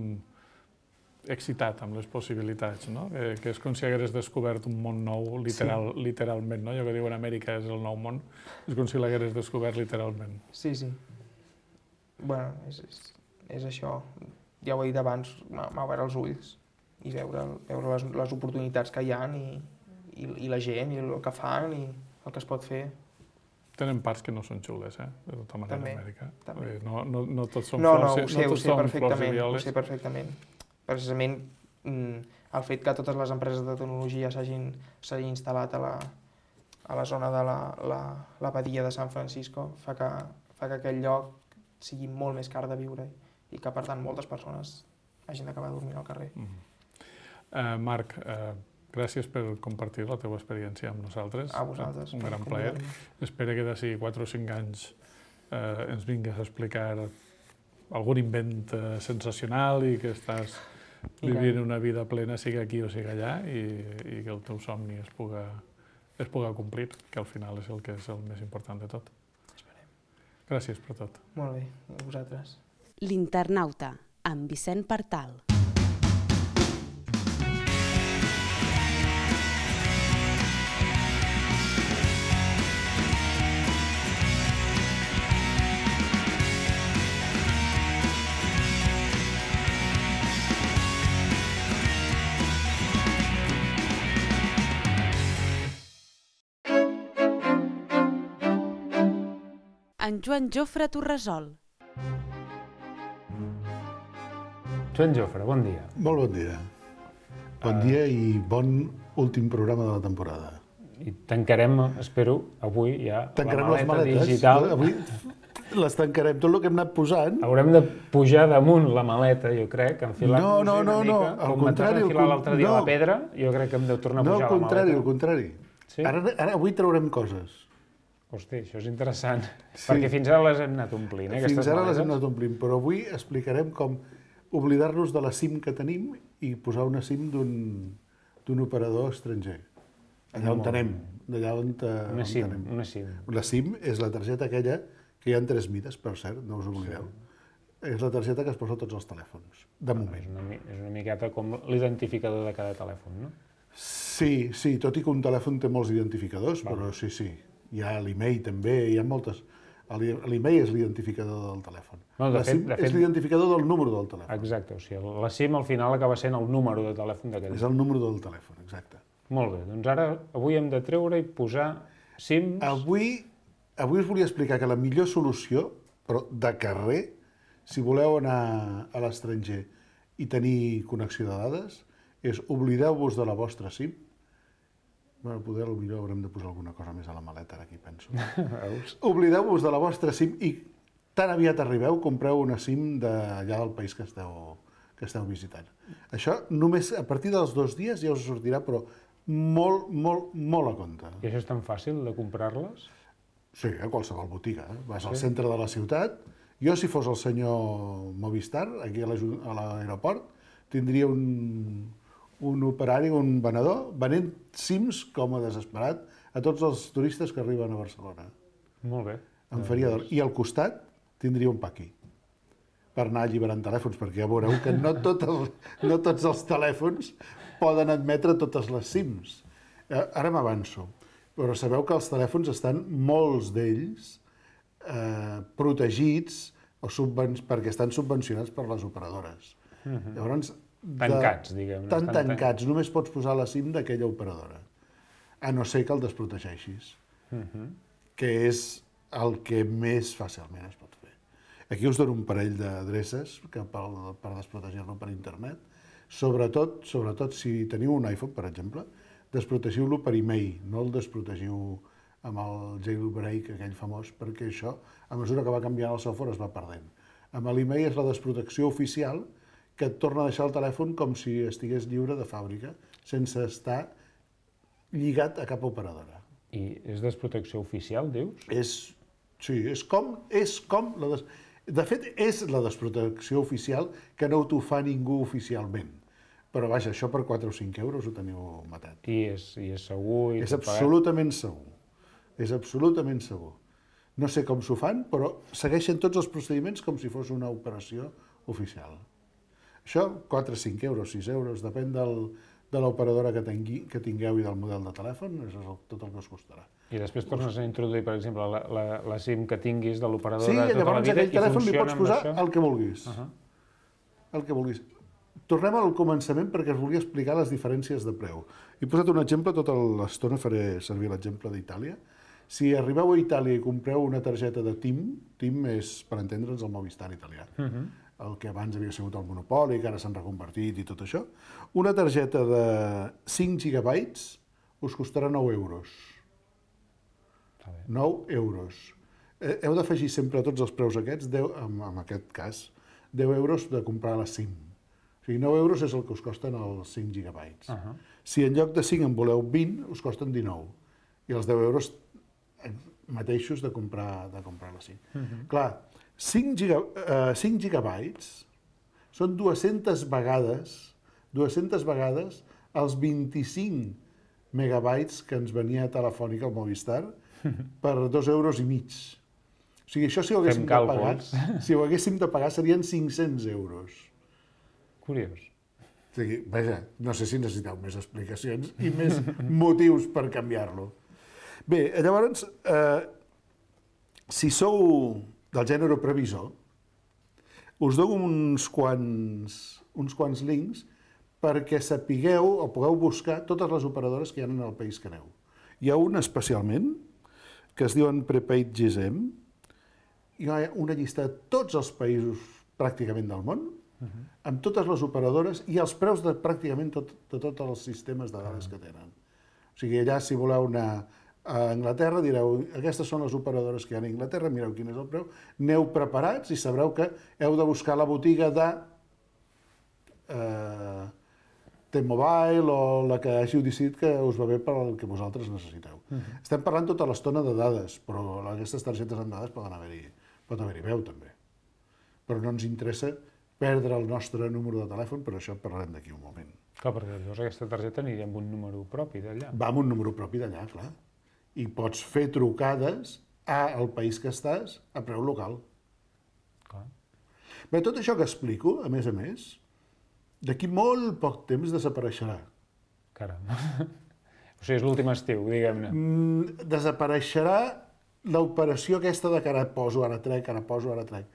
excitat amb les possibilitats, no? Que, que és com si hagués descobert un món nou, literal, sí. literalment, no? Allò que diuen Amèrica és el nou món, és com si l'hagués descobert literalment.
Sí, sí. Bueno, és, és, és això. Ja ho he dit abans, m'ha m'ha obert els ulls i veure, veure les, les oportunitats que hi ha i, i, i la gent i el que fan i el que es pot fer.
Tenen parts que no són xules, eh? De tota manera,
També,
Amèrica.
també.
Vull dir, No, no, no tots són
No,
flors,
no, ho sé,
no
ho
tots
sé
són flors i
perfectament, ho
violes.
sé perfectament. Precisament mm, el fet que totes les empreses de tecnologia s'hagin s'hagin instal·lat a la, a la zona de la, la, la Badia de San Francisco fa que, fa que aquell lloc sigui molt més car de viure i que, per tant, moltes persones hagin d'acabar dormint al carrer.
Mm. Uh, Marc, uh, gràcies per compartir la teva experiència amb nosaltres.
A vosaltres.
Un
per
gran plaer.
convidar-me.
Espero que d'ací quatre o cinc anys eh, ens vingues a explicar algun invent eh, sensacional i que estàs vivint una vida plena, sigui aquí o sigui allà, i que el teu somni es puga complir, que al final és el que és el més important de tot.
Esperem.
Gràcies per tot.
Molt bé, a vosaltres.
L'Internauta, amb Vicent Partal. En Joan Jofre Torresol.
Joan Jofre, bon dia.
Molt bon dia. Bon dia i bon últim programa de la temporada.
I tancarem, espero, avui ja
tancarem
la maleta digital.
Avui les tancarem, tot el que hem anat posant.
Haurem de pujar damunt la maleta, jo crec, enfilar-nos
no, no,
una
no,
mica.
No, al
com
contrari.
Com enfilar l'altre dia no. la pedra, jo crec que hem de tornar a pujar
no,
la maleta.
No, al contrari, al contrari.
Sí?
Ara, ara avui traurem coses.
Hosti, això és interessant, sí. perquè fins ara les hem anat omplint, eh,
Fins ara
maletes.
les hem anat omplint, però avui explicarem com oblidar-nos de la SIM que tenim i posar una SIM d'un operador estranger. Allà on tenem, d'allà on,
una
on
SIM,
tenem.
Una SIM.
La SIM és la targeta aquella que hi ha en tres mides, per cert, no us oblideu. Sí. És la targeta que es posa a tots els telèfons, de moment.
És una, és una miqueta com l'identificador de cada telèfon, no?
Sí, sí, tot i que un telèfon té molts identificadors, Val. però sí, sí. Hi ha l'email també, hi ha moltes. L'email és l'identificador del telèfon.
No, de
la
fet,
SIM
de fet...
és l'identificador del número del telèfon.
Exacte, o sigui, la SIM al final acaba sent el número de telèfon d'aquell.
És el número del telèfon, exacte.
Molt bé, doncs ara avui hem de treure i posar SIMs...
Avui, avui us volia explicar que la millor solució, però de carrer, si voleu anar a l'estranger i tenir connexió de dades, és oblideu-vos de la vostra SIM. Bueno, poder potser haurem de posar alguna cosa més a la maleta, ara aquí penso. Oblideu-vos de la vostra SIM i tan aviat arribeu, compreu una SIM d'allà del país que esteu, que esteu visitant. Això només a partir dels dos dies ja us sortirà, però molt, molt, molt a compte.
I això és tan fàcil de comprar-les?
Sí, a qualsevol botiga. Eh? Vas al centre de la ciutat. Jo, si fos el senyor Movistar, aquí a l'aeroport, tindria un... un operari, un venedor, venent SIMs com a desesperat a tots els turistes que arriben a Barcelona.
Molt bé.
Em faria d'or. I al costat tindria un paqui per anar alliberant telèfons, perquè ja veureu que no, tot el, no tots els telèfons poden admetre totes les SIMs. Ara m'avanço, però sabeu que els telèfons estan, molts d'ells, eh, protegits o subven... perquè estan subvencionats per les operadores.
Uh-huh.
Llavors,
tancats, diguem.
Tan tancats, només pots posar la SIM d'aquella operadora, a no ser que el desprotegeixis, uh-huh. que és el que més fàcilment es pot fer. Aquí us dono un parell d'adreces per, per desprotegir-lo per internet. Sobretot, sobretot si teniu un iPhone, per exemple, desprotegiu-lo per e-mail, no el desprotegiu amb el jailbreak aquell famós, perquè això, a mesura que va canviant el software, es va perdent. Amb l'e-mail és la desprotecció oficial, que et torna a deixar el telèfon com si estigués lliure de fàbrica, sense estar lligat a cap operadora.
I és desprotecció oficial, dius?
És, sí, és com... És com la des... De fet, és la desprotecció oficial que no t'ho fa ningú oficialment. Però vaja, això per quatre o cinc euros ho teniu matat.
I és, i és segur? I
és absolutament segur. És absolutament segur. No sé com s'ho fan, però segueixen tots els procediments com si fos una operació oficial. Això, quatre o cinc euros, sis euros, depèn del, de l'operadora que, tingui, que tingueu i del model de telèfon, és el, tot el que us costarà.
I després tornes a introduir, per exemple, la, la, la SIM que tinguis de l'operadora
sí,
de tota la vida i funciona amb això? Sí, llavors aquell telèfon li pots posar el que vulguis. Uh-huh. El que vulguis. Tornem al començament perquè us volia explicar les diferències de preu. He posat un exemple, tota l'estona faré servir l'exemple d'Itàlia. Si arribeu a Itàlia i compreu una targeta de TIM, TIM és, per entendre'ns, el Movistar italià, uh-huh. el que abans havia sigut el monopoli, que ara s'han reconvertit i tot això, una targeta de cinc gigabytes us costarà nou euros. nou euros. Eh, heu d'afegir sempre a tots els preus aquests, deu, en, en aquest cas, deu euros de comprar la SIM. O sigui, nou euros és el que us costen els cinc gigabytes. Uh-huh. Si en lloc de cinc en voleu vint, us costen dinou. I els deu euros mateixos de comprar, de comprar la SIM. Uh-huh. Clar, cinc, giga, uh, cinc gigabytes
són dues-centes vegades, dues-centes vegades els vint-i-cinc megabytes que ens venia Telefònica al Movistar per dos euros i mig. O sigui, això si ho haguéssim de pagar, si ho haguéssim de pagar serien cinc-cents euros.
Curiós.
O sigui, vaja, no sé si necessiteu més explicacions i més motius per canviar-lo. Bé, llavors, eh, si sou del gènere previsor, us dono uns quants, uns quants links perquè sapigueu o pugueu buscar totes les operadores que hi ha en el país que aneu. Hi ha una especialment que es diuen Prepaid G S M. Hi ha una llista de tots els països pràcticament del món, uh-huh. amb totes les operadores i els preus de pràcticament tot, de tots els sistemes de dades uh-huh. que tenen. O sigui, allà si voleu anar a Anglaterra, direu, aquestes són les operadores que hi ha a Anglaterra, mireu quin és el preu, aneu preparats i sabreu que heu de buscar la botiga de eh, T-Mobile o la que hàgiu decidit que us va bé per al que vosaltres necessiteu. Uh-huh. Estem parlant tota l'estona de dades, però aquestes targetes amb dades poden haver-hi, pot haver-hi veu també. Però no ens interessa perdre el nostre número de telèfon, però això parlarem d'aquí un moment.
Clar, perquè llavors aquesta targeta aniria amb un número propi d'allà.
Va amb un número propi d'allà, clar. I pots fer trucades al país que estàs a preu local.
Clar.
Bé, tot això que explico, a més a més, d'aquí molt poc temps desapareixerà.
Caram. O sigui, és l'últim estiu, diguem-ne.
Mm, desapareixerà l'operació aquesta de que ara poso, ara trec, ara poso, ara trec.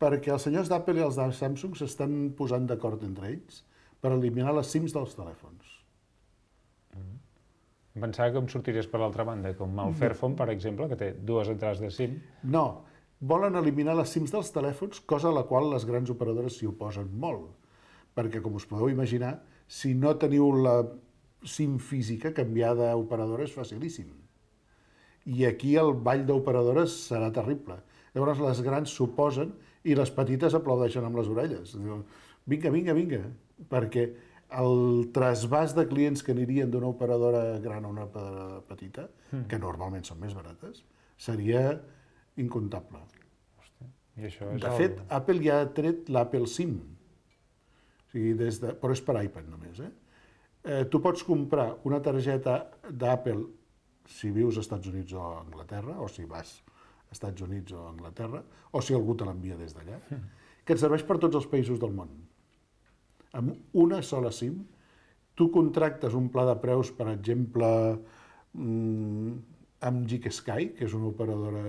Perquè els senyors d'Apple i els de Samsung s'estan posant d'acord entre ells per eliminar les SIMs dels telèfons.
Mm. Pensava que em sortiries per l'altra banda, com el Fairphone, per exemple, que té dues entrades de SIM.
No, volen eliminar les SIMs dels telèfons, cosa a la qual les grans operadores s'hi oposen molt. Perquè, com us podeu imaginar, si no teniu la SIM física, canviar d'operadora és facilíssim. I aquí el ball d'operadores serà terrible. Llavors les grans s'oposen i les petites aplaudeixen amb les orelles. Vinga, vinga, vinga, perquè el trasbàs de clients que anirien d'una operadora gran a una operadora petita, mm. que normalment són més barates, seria incomptable.
Hòstia. I això és
de
el...
fet, Apple ja ha tret l'Apple SIM, o sigui, des de... però és per iPad només. Eh? Eh, tu pots comprar una targeta d'Apple si vius als Estats Units o a Anglaterra, o si vas als Estats Units o a Anglaterra, o si algú te l'envia des d'allà, mm. que et serveix per tots els països del món. Amb una sola SIM, tu contractes un pla de preus, per exemple, amb GigaSky, que és una operadora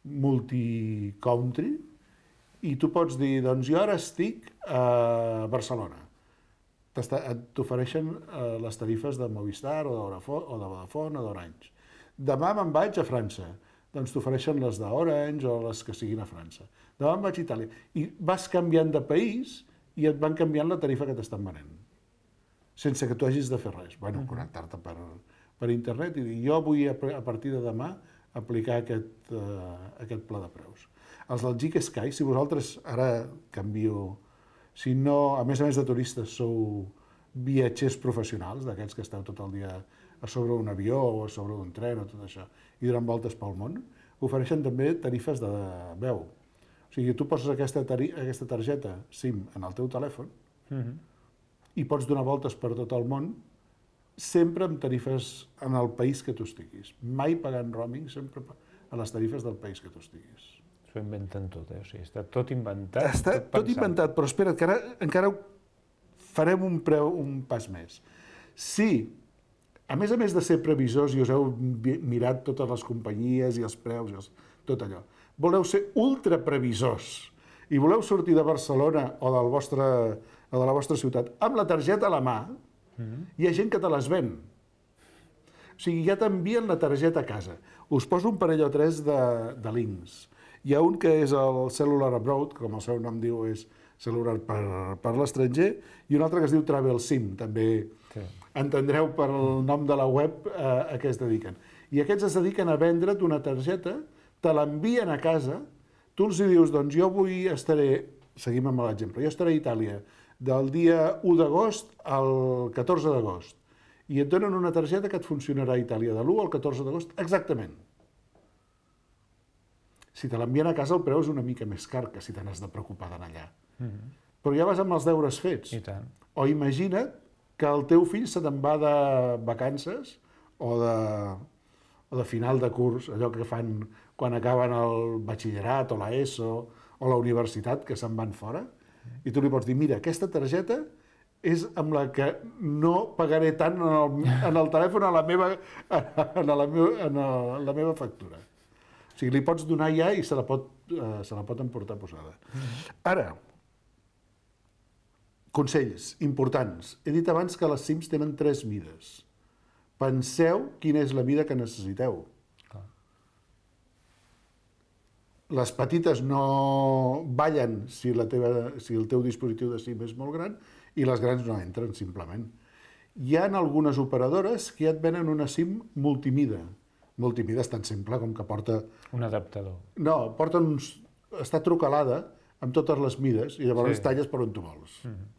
multi-country, i tu pots dir, doncs jo ara estic a Barcelona. T'ofereixen les tarifes de Movistar o de Vodafone o d'Orange. Demà me'n vaig a França, doncs t'ofereixen les d'Orange o les que siguin a França. Demà me'n vaig a Itàlia. I vas canviant de país i et van canviant la tarifa que t'estan venent, sense que tu hagis de fer res. Bueno, connectar-te per, per internet i dir, jo vull a partir de demà aplicar aquest, uh, aquest pla de preus. Els del GigaSky, si vosaltres ara canvio, si no, a més a més de turistes, sou viatgers professionals, d'aquests que esteu tot el dia a sobre un avió o a sobre un tren o tot això, i donant voltes pel món, ofereixen també tarifes de veu. O sigui, tu poses aquesta, aquesta targeta SIM en el teu telèfon uh-huh. i pots donar voltes per tot el món sempre amb tarifes en el país que tu estiguis. Mai pagant roaming, sempre a les tarifes del país que tu estiguis.
S'ho inventen tot, eh? O sigui, està tot inventat.
Està tot, tot inventat, però espera't, que ara encara farem un, preu, un pas més. Si, a més a més de ser previsors i us heu mirat totes les companyies i els preus i els, tot allò, voleu ser ultraprevisors i voleu sortir de Barcelona o, del vostre, o de la vostra ciutat amb la targeta a la mà, mm-hmm. hi ha gent que te les ven. O sigui, ja t'envien la targeta a casa. Us poso un parell o tres de, de links. Hi ha un que és el Cellular Abroad, com el seu nom diu, és celular per, per l'estranger, i un altre que es diu Travel SIM, també sí. entendreu per el nom de la web eh, a què es dediquen. I aquests es dediquen a vendre't una targeta, te l'envien a casa, tu els dius, doncs jo avui estaré, seguim amb l'exemple, jo estaré a Itàlia del dia u d'agost al catorze d'agost, i et donen una targeta que et funcionarà a Itàlia de l'u al catorze d'agost exactament. Si te l'envien a casa el preu és una mica més car que si te n'has de preocupar d'anar allà. Mm-hmm. però ja vas amb els deures fets.
I tant.
O imagina't que el teu fill se te'n va de vacances o de, o de final de curs, allò que fan quan acaben el batxillerat o l'ESO o la universitat, que se'n van fora, i tu li pots dir, mira, aquesta targeta és amb la que no pagaré tant en el, en el telèfon a la meva, en la meva, en la meva factura. O sigui, li pots donar ja i se la pot, eh, se la pot emportar posada. Ara, consells importants. He dit abans que les SIMs tenen tres mides. Penseu quina és la mida que necessiteu. Les petites no ballen si, la teva, si el teu dispositiu de SIM és molt gran i les grans no entren, simplement. Hi ha algunes operadores que ja et venen una SIM multimida. Multimida és tan simple com que porta...
Un adaptador.
No, porta uns... està trucalada amb totes les mides i llavors
Sí.
talles per on tu vols. Mm-hmm.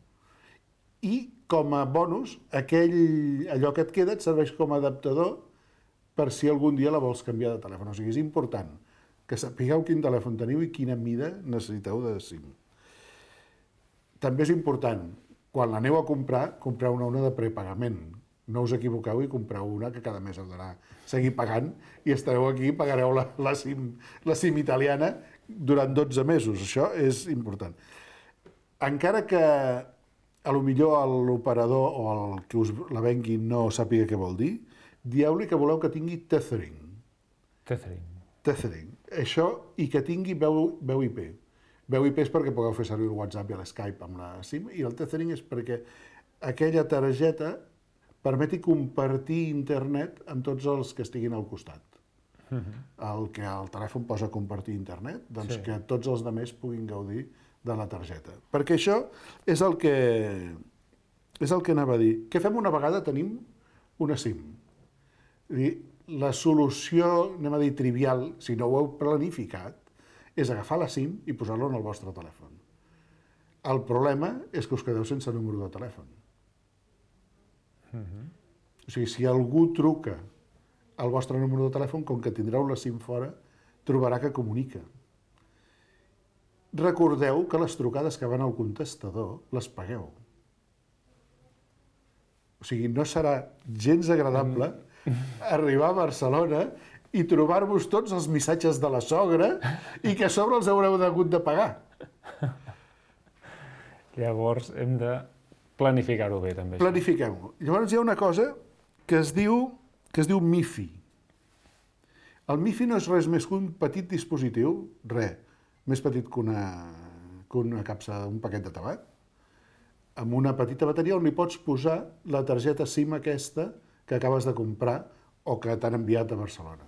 I com a bonus, aquell, allò que et queda et serveix com a adaptador per si algun dia la vols canviar de telèfon. O sigui, és important que sapigueu quin telèfon teniu i quina mida necessiteu de SIM. També és important, quan l'aneu a comprar, compreu una, una de prepagament. No us equivoqueu i compreu una que cada mes heu d'anar seguir pagant i estareu aquí i pagareu la, la, SIM, la SIM italiana durant dotze mesos. Això és important. Encara que a lo millor l'operador o el que us la vengui no sàpiga què vol dir, dieu-li que voleu que tingui tethering.
Tethering.
Tethering. Això, i que tingui veu, veu I P. Veu I P és perquè pugueu fer servir el WhatsApp i l'Skype amb la SIM, i el tethering és perquè aquella targeta permeti compartir internet amb tots els que estiguin al costat. Uh-huh. El que el telèfon posa compartir internet, doncs sí. Que tots els altres puguin gaudir de la targeta. Perquè això és el que és el que anava a dir. Què fem una vegada tenim una SIM? És dir, la solució, anem a dir, trivial, si no ho heu planificat, és agafar la SIM i posar-la en el vostre telèfon. El problema és que us quedeu sense número de telèfon. Uh-huh. O sigui, si algú truca al vostre número de telèfon, com que tindreu la SIM fora, trobarà que comunica. Recordeu que les trucades que van al contestador les pagueu. O sigui, no serà gens agradable arribar a Barcelona i trobar-vos tots els missatges de la sogra i que a sobre els haureu hagut de pagar.
Llavors hem de planificar-ho bé, també.
Planifiquem-ho. Llavors hi ha una cosa que es diu, que es diu MiFi. El MiFi no és res més que un petit dispositiu, res, més petit que una, que una capsa, un paquet de tabac, amb una petita bateria on li pots posar la targeta SIM aquesta que acabes de comprar o que t'han enviat a Barcelona.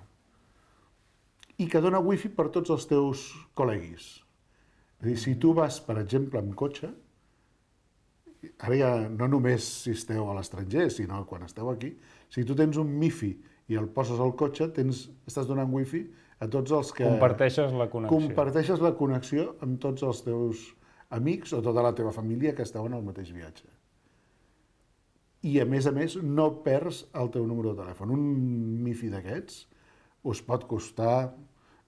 I que dona wifi per tots els teus col·leguis. És a dir, si tu vas, per exemple, amb cotxe, ara ja no només si esteu a l'estranger, sinó quan esteu aquí, si tu tens un MiFi i el poses al cotxe, tens, estàs donant wifi a tots els que...
Comparteixes la connexió.
Comparteixes la connexió amb tots els teus amics o tota la teva família que esteu en el mateix viatge. I, a més a més, no perds el teu número de telèfon. Un MiFi d'aquests us pot costar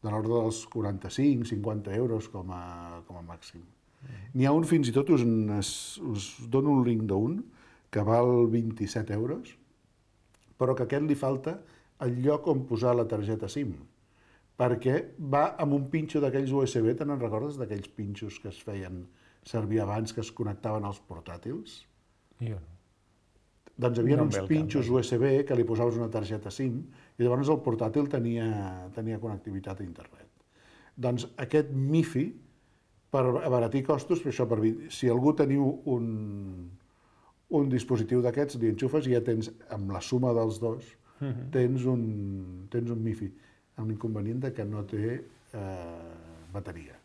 de l'ordre dels quaranta-cinc a cinquanta euros com a, com a màxim. N'hi ha un, fins i tot, us, us dono un link d'un, que val vint-i-set euros, però que a aquest li falta el lloc on posar la targeta SIM, perquè va amb un pinxo d'aquells U S B, te'n recordes d'aquells pinxos que es feien servir abans, que es connectaven als portàtils?
Jo no.
Doncs hi havia
No em
uns
ve el
pinxos
cap,
U S B que li posaves una targeta SIM i llavors el portàtil tenia, tenia connectivitat a internet. Doncs aquest MiFi, per abaratir costos, per això, per, si algú teniu un, un dispositiu d'aquests, li enxufes i ja tens, amb la suma dels dos, uh-huh. tens, un, tens un MiFi, amb l'inconvenient que no té eh, bateria.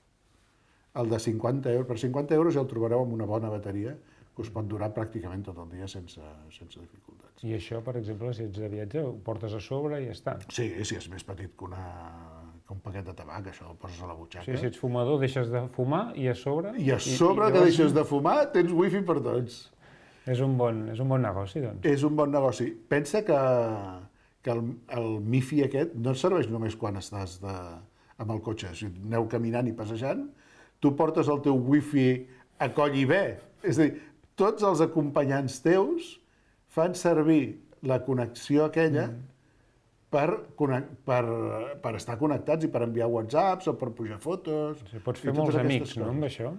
El de cinquanta euros, per cinquanta euros ja el trobareu amb una bona bateria que us pot durar pràcticament tot el dia sense, sense dificultats.
I això, per exemple, si ets de viatge, ho portes a sobre i ja està.
Sí, si és més petit que, una, que un paquet de tabac, això el poses a la butxaca.
Sí, si ets fumador, deixes de fumar i a sobre...
I a sobre i, i que llavors... deixes de fumar, tens wifi per tots.
És un bon, és un bon negoci, doncs.
És un bon negoci. Pensa que, que el, el MiFi aquest no et serveix només quan estàs de, amb el cotxe. Si aneu caminant i passejant, tu portes el teu wifi acolli bé. És a dir, tots els acompanyants teus fan servir la connexió aquella mm. per, per, per estar connectats i per enviar whatsapps o per pujar fotos.
O sigui, pots fer molts amics, no, amb això?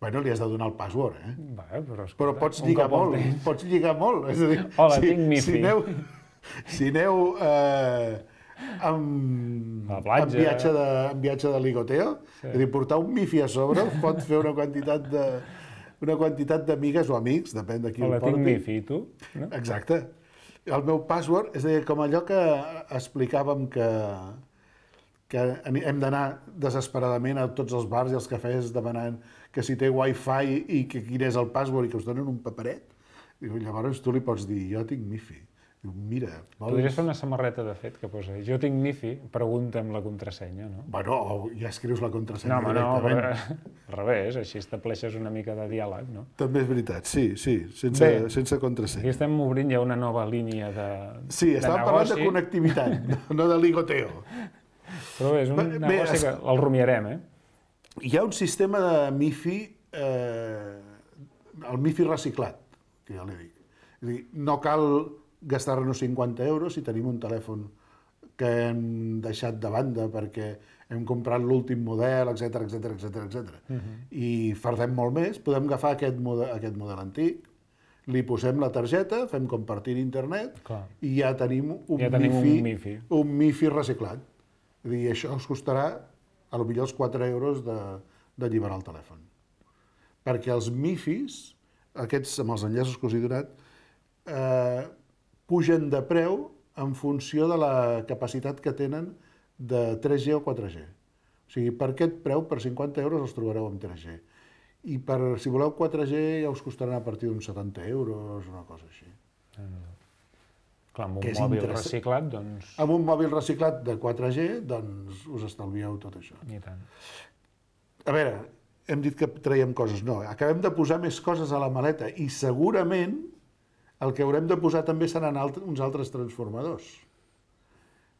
Bueno, li has de donar el password, eh?
Va, però, escolta,
però pots lligar molt, pots lligar molt. És a dir,
hola,
si,
tinc Mifi.
Si aneu, si aneu eh, amb, amb, viatge de, amb viatge de ligoteo, sí. És a dir, portar un Mifi a sobre pot fer una quantitat de una quantitat d'amigues o amics, depèn de qui
hola,
el porti.
Hola, tinc Mifi, i tu? No?
Exacte. El meu password, és a dir, com allò que explicàvem que que hem d'anar desesperadament a tots els bars i els cafès demanant que si té wifi i que quin és el password i que us donen un paperet. Diu, llavors tu li pots dir, jo tinc Mifi. Diu, mira... Vols...
Podries fer una samarreta, de fet, que posa, jo tinc Mifi, pregunta'm la contrasenya, no?
Bueno, o ja escrius la contrasenya
no,
directament.
No, però, al revés, així estableixes una mica de diàleg, no?
També és veritat, sí, sí, sense, Bé, sense contrasenya.
Aquí estem obrint ja una nova línia de
Sí, estàvem parlant de connectivitat, no de ligoteo.
Però bé, és un Bé, negoci es... que el rumiarem, eh?
Hi ha un sistema de Mifi, eh, el Mifi reciclat, que ja l'he dit. És a dir, no cal gastar-nos cinquanta euros si tenim un telèfon que hem deixat de banda perquè hem comprat l'últim model, etcètera, etcètera, etcètera, etcètera. Uh-huh. I fardem molt més, podem agafar aquest model, aquest model antic, li posem la targeta, fem compartir internet
Clar.
I ja tenim un,
ja tenim
Mifi,
un Mifi,
un Mifi reciclat. És a dir, això us costarà a lo millor els quatre euros de, d'alliberar el telèfon. Perquè els Mifis, aquests amb els enllaços que us he donat, eh, pugen de preu en funció de la capacitat que tenen de tres G o quatre G. O sigui, per aquest preu, per cinquanta euros, els trobareu amb tres G. I per, si voleu quatre G ja us costaran a partir d'uns setanta euros, una cosa així.
Mm. Clar, amb un mòbil reciclat, doncs...
Amb un mòbil reciclat de quatre G, doncs us estalvieu tot això.
I tant.
A veure, hem dit que traiem coses. No, acabem de posar més coses a la maleta i segurament el que haurem de posar també seran alt- uns altres transformadors.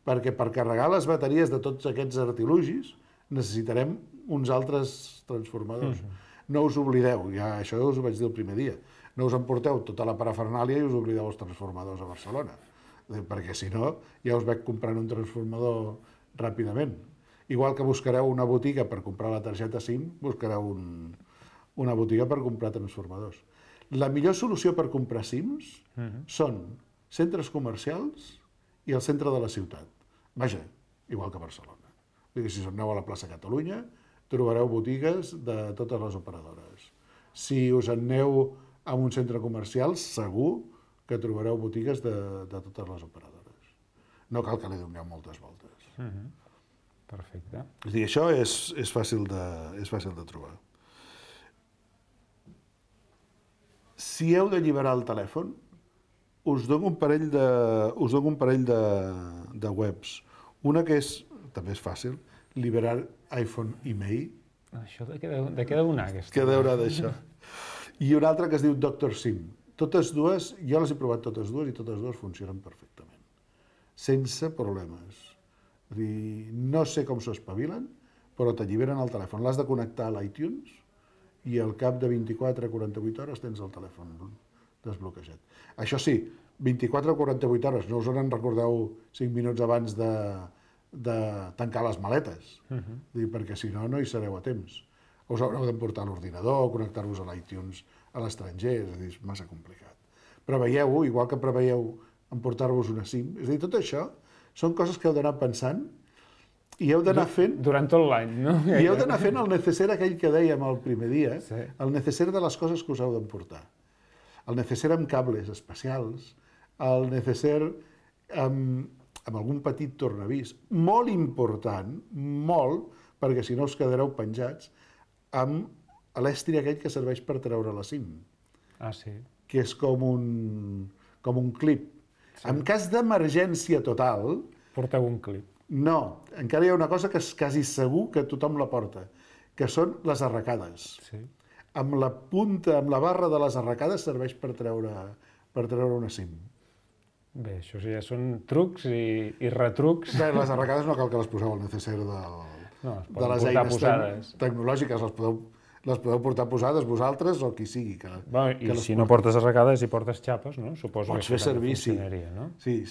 Perquè per carregar les bateries de tots aquests artilugis necessitarem uns altres transformadors. Mm-hmm. No us oblideu, ja això us ho vaig dir el primer dia, no us emporteu tota la parafernàlia i us oblideu els transformadors a Barcelona, perquè si no ja us veig comprant un transformador ràpidament. Igual que buscareu una botiga per comprar la targeta SIM, buscareu un, una botiga per comprar transformadors. La millor solució per comprar SIMs uh-huh. són centres comercials i el centre de la ciutat. Vaja, igual que Barcelona. Vull dir, si aneu a la plaça Catalunya, trobareu botigues de totes les operadores. Si us aneu a un centre comercial, segur que trobareu botigues de, de totes les operadores. No cal que li doneu moltes voltes.
Uh-huh. Perfecte.
És a dir, això és, és, fàcil de, és fàcil de trobar. Si heu d'alliberar el telèfon, us dono un parell de, us dono un parell de, de webs. Una que és, també és fàcil, liberar iPhone email.
Això de què deu, de què deu anar, aquesta?
Què deurà d'això? I una altra que es diu Doctor SIM. Totes dues, jo les he provat totes dues i totes dues funcionen perfectament. Sense problemes. És dir, no sé com s'ho espavilen, però t'alliberen el telèfon. L'has de connectar a l'iTunes i al cap de vint-i-quatre a quaranta-vuit hores tens el telèfon desbloquejat. Això sí, vint-i-quatre a quaranta-vuit hores, no us en recordeu cinc minuts abans de, de tancar les maletes, uh-huh. dir, perquè si no, no hi sereu a temps. Us haureu d'emportar l'ordinador, connectar-vos a l'iTunes a l'estranger, és a dir, és massa complicat. Preveieu-ho, igual que preveieu emportar-vos una SIM, és a dir, tot això són coses que heu d'anar pensant i heu d'anar fent...
Durant tot l'any, no?
I heu d'anar fent el necesser aquell que dèiem el primer dia,
sí.
El necesser de les coses que us heu d'emportar. El necesser amb cables especials, el necesser amb, amb algun petit tornavís, molt important, molt, perquè si no us quedareu penjats, amb l'estri aquell que serveix per treure la SIM.
Ah, sí?
Que és com un, com un clip. Sí. En cas d'emergència total...
Porteu un clip.
No, encara hi ha una cosa que és quasi segur que tothom la porta, que són les arracades.
Sí.
Amb la punta, amb la barra de les arracades serveix per treure, per treure una SIM.
Bé, això ja són trucs i, i retrucs.
Bé, les arracades no cal que les poseu al necesser del,
no,
de les eines
posades.
tecnològiques, les podeu les podeu portar posades vosaltres o qui sigui. Que,
bueno, I
que
si no portes arracades i portes xapes, no? Suposo
Pots
que
fer servir, sí.
no?
Sí,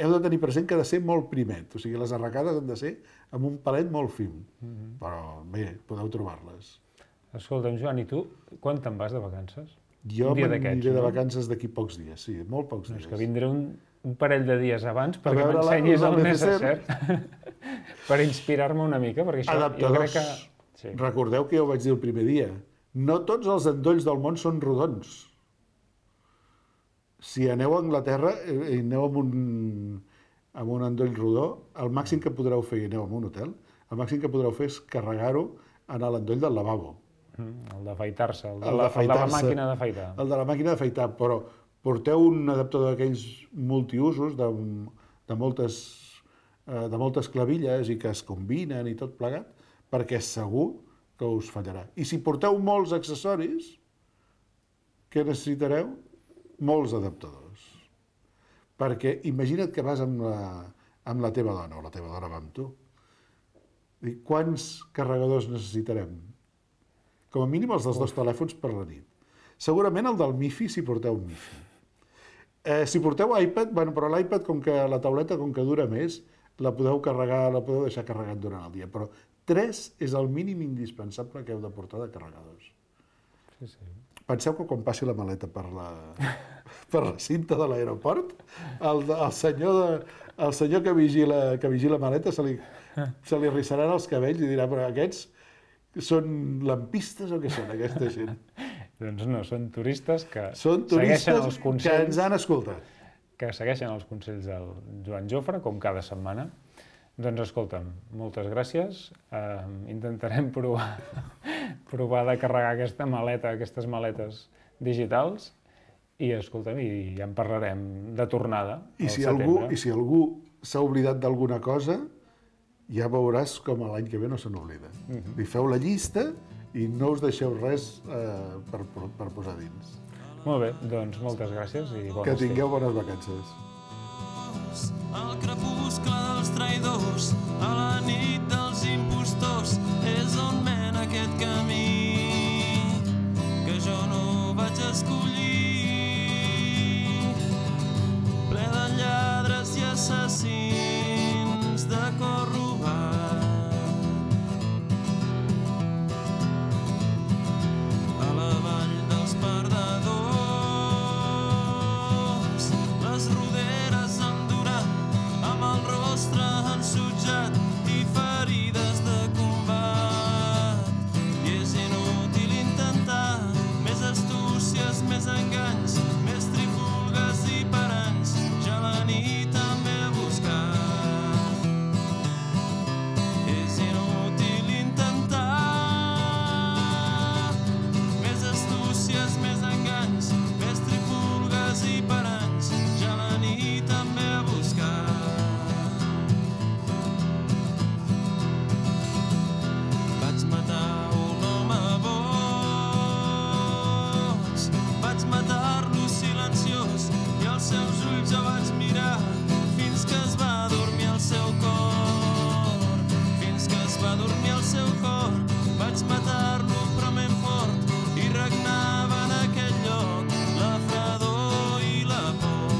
heu de tenir present que ha de ser molt primet, o sigui, les arracades han de ser amb un palet molt fin, mm-hmm. però bé, podeu trobar-les.
Escolta'm, Joan, i tu, quan te'n vas de vacances?
Jo m'aniré de vacances d'aquí pocs dies, sí, molt pocs dies.
És que vindré un, un parell de dies abans perquè m'ensenyis el necessari per inspirar-me una mica, perquè això jo crec que... Sí.
Recordeu que jo ho vaig dir el primer dia, no tots els endolls del món són rodons. Si aneu a Anglaterra i aneu amb un, amb un endoll rodó, el màxim que podreu fer, i aneu a un hotel, el màxim que podreu fer és carregar-ho en l'endoll del lavabo.
Mm, el d'afaitar-se, el, el, el de la màquina d'afaitar.
El de la màquina d'afaitar, però porteu un adaptador d'aquells multiusos de, de, moltes, de moltes clavilles i que es combinen i tot plegat, perquè segur que us fallarà. I si porteu molts accessoris, què necessitareu? Molts adaptadors. Perquè imagina't que vas amb la, amb la teva dona, o la teva dona va amb tu. I quants carregadors necessitarem? Com a mínim els dels dos telèfons per la nit. Segurament el del MiFi, si porteu un MiFi. Eh, si porteu iPad, bueno, però l'iPad, com que la tauleta, com que dura més, la podeu carregar, la podeu deixar carregat durant el dia, però tres és el mínim indispensable que heu de portar de carregadors.
Sí, sí.
Penseu que quan passi la maleta per la, per la cinta de l'aeroport, el, el, senyor de, el senyor que vigila, que vigila maleta se li, se li rissaran els cabells i dirà, però aquests són lampistes o què són, aquesta gent?
Doncs no, són turistes que
són turistes
segueixen els consells,
que ens han escoltat.
Que segueixen els consells del Joan Jofre, com cada setmana. Doncs escolta'm, moltes gràcies. Uh, intentarem provar, provar de carregar aquesta maleta, aquestes maletes digitals i escolta'm, i ja en parlarem de tornada
I si algú, I si algú s'ha oblidat d'alguna cosa, ja veuràs com l'any que ve no se n'oblida. Uh-huh. I feu la llista i no us deixeu res uh, per, per posar dins.
Molt bé, doncs moltes gràcies i bones
Que tingueu bones vacances.
Al crepuscle dels traïdors, a la nit dels impostors, és on mena aquest camí que jo no vaig escollir, ple de lladres i assassins de cor robat. A la vall dels perdedors, les roderes amb amb el rostre ensutjat i ferides de combat. I és inútil intentar més astúcies, més enganys, més trifulgues i paranys. Ja la nit també a buscar. És inútil intentar més astúcies, més enganys, més trifulgues i paranys. Ja la nit també a buscar. Vaig matar un home boig, vaig matar-lo silenciós i els seus ulls jo vaig mirar fins que es va dormir el seu cor, fins que es va dormir el seu cor. Vaig matar-lo però ben fort i regnava en aquell lloc la fredor i la por.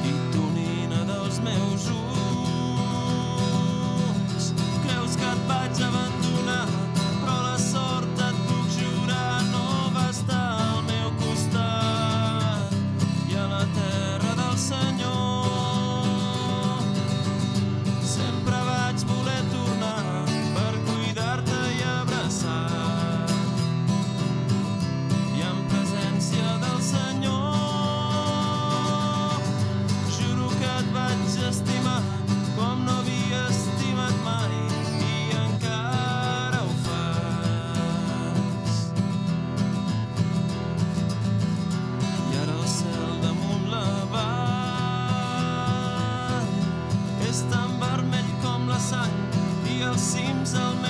I tu, nina dels meus ulls, creus que et vaig abandonar, però la sort et puc jurar no va estar al meu costat. I a la terra del Senyor sempre vaig voler tornar per cuidar-te i abraçar. I en presència del Senyor juro que et vaig estimar com no havia estimat mai i encara ho fas. I ara el cel damunt la vall és tan vermell com la sang i els cims al meu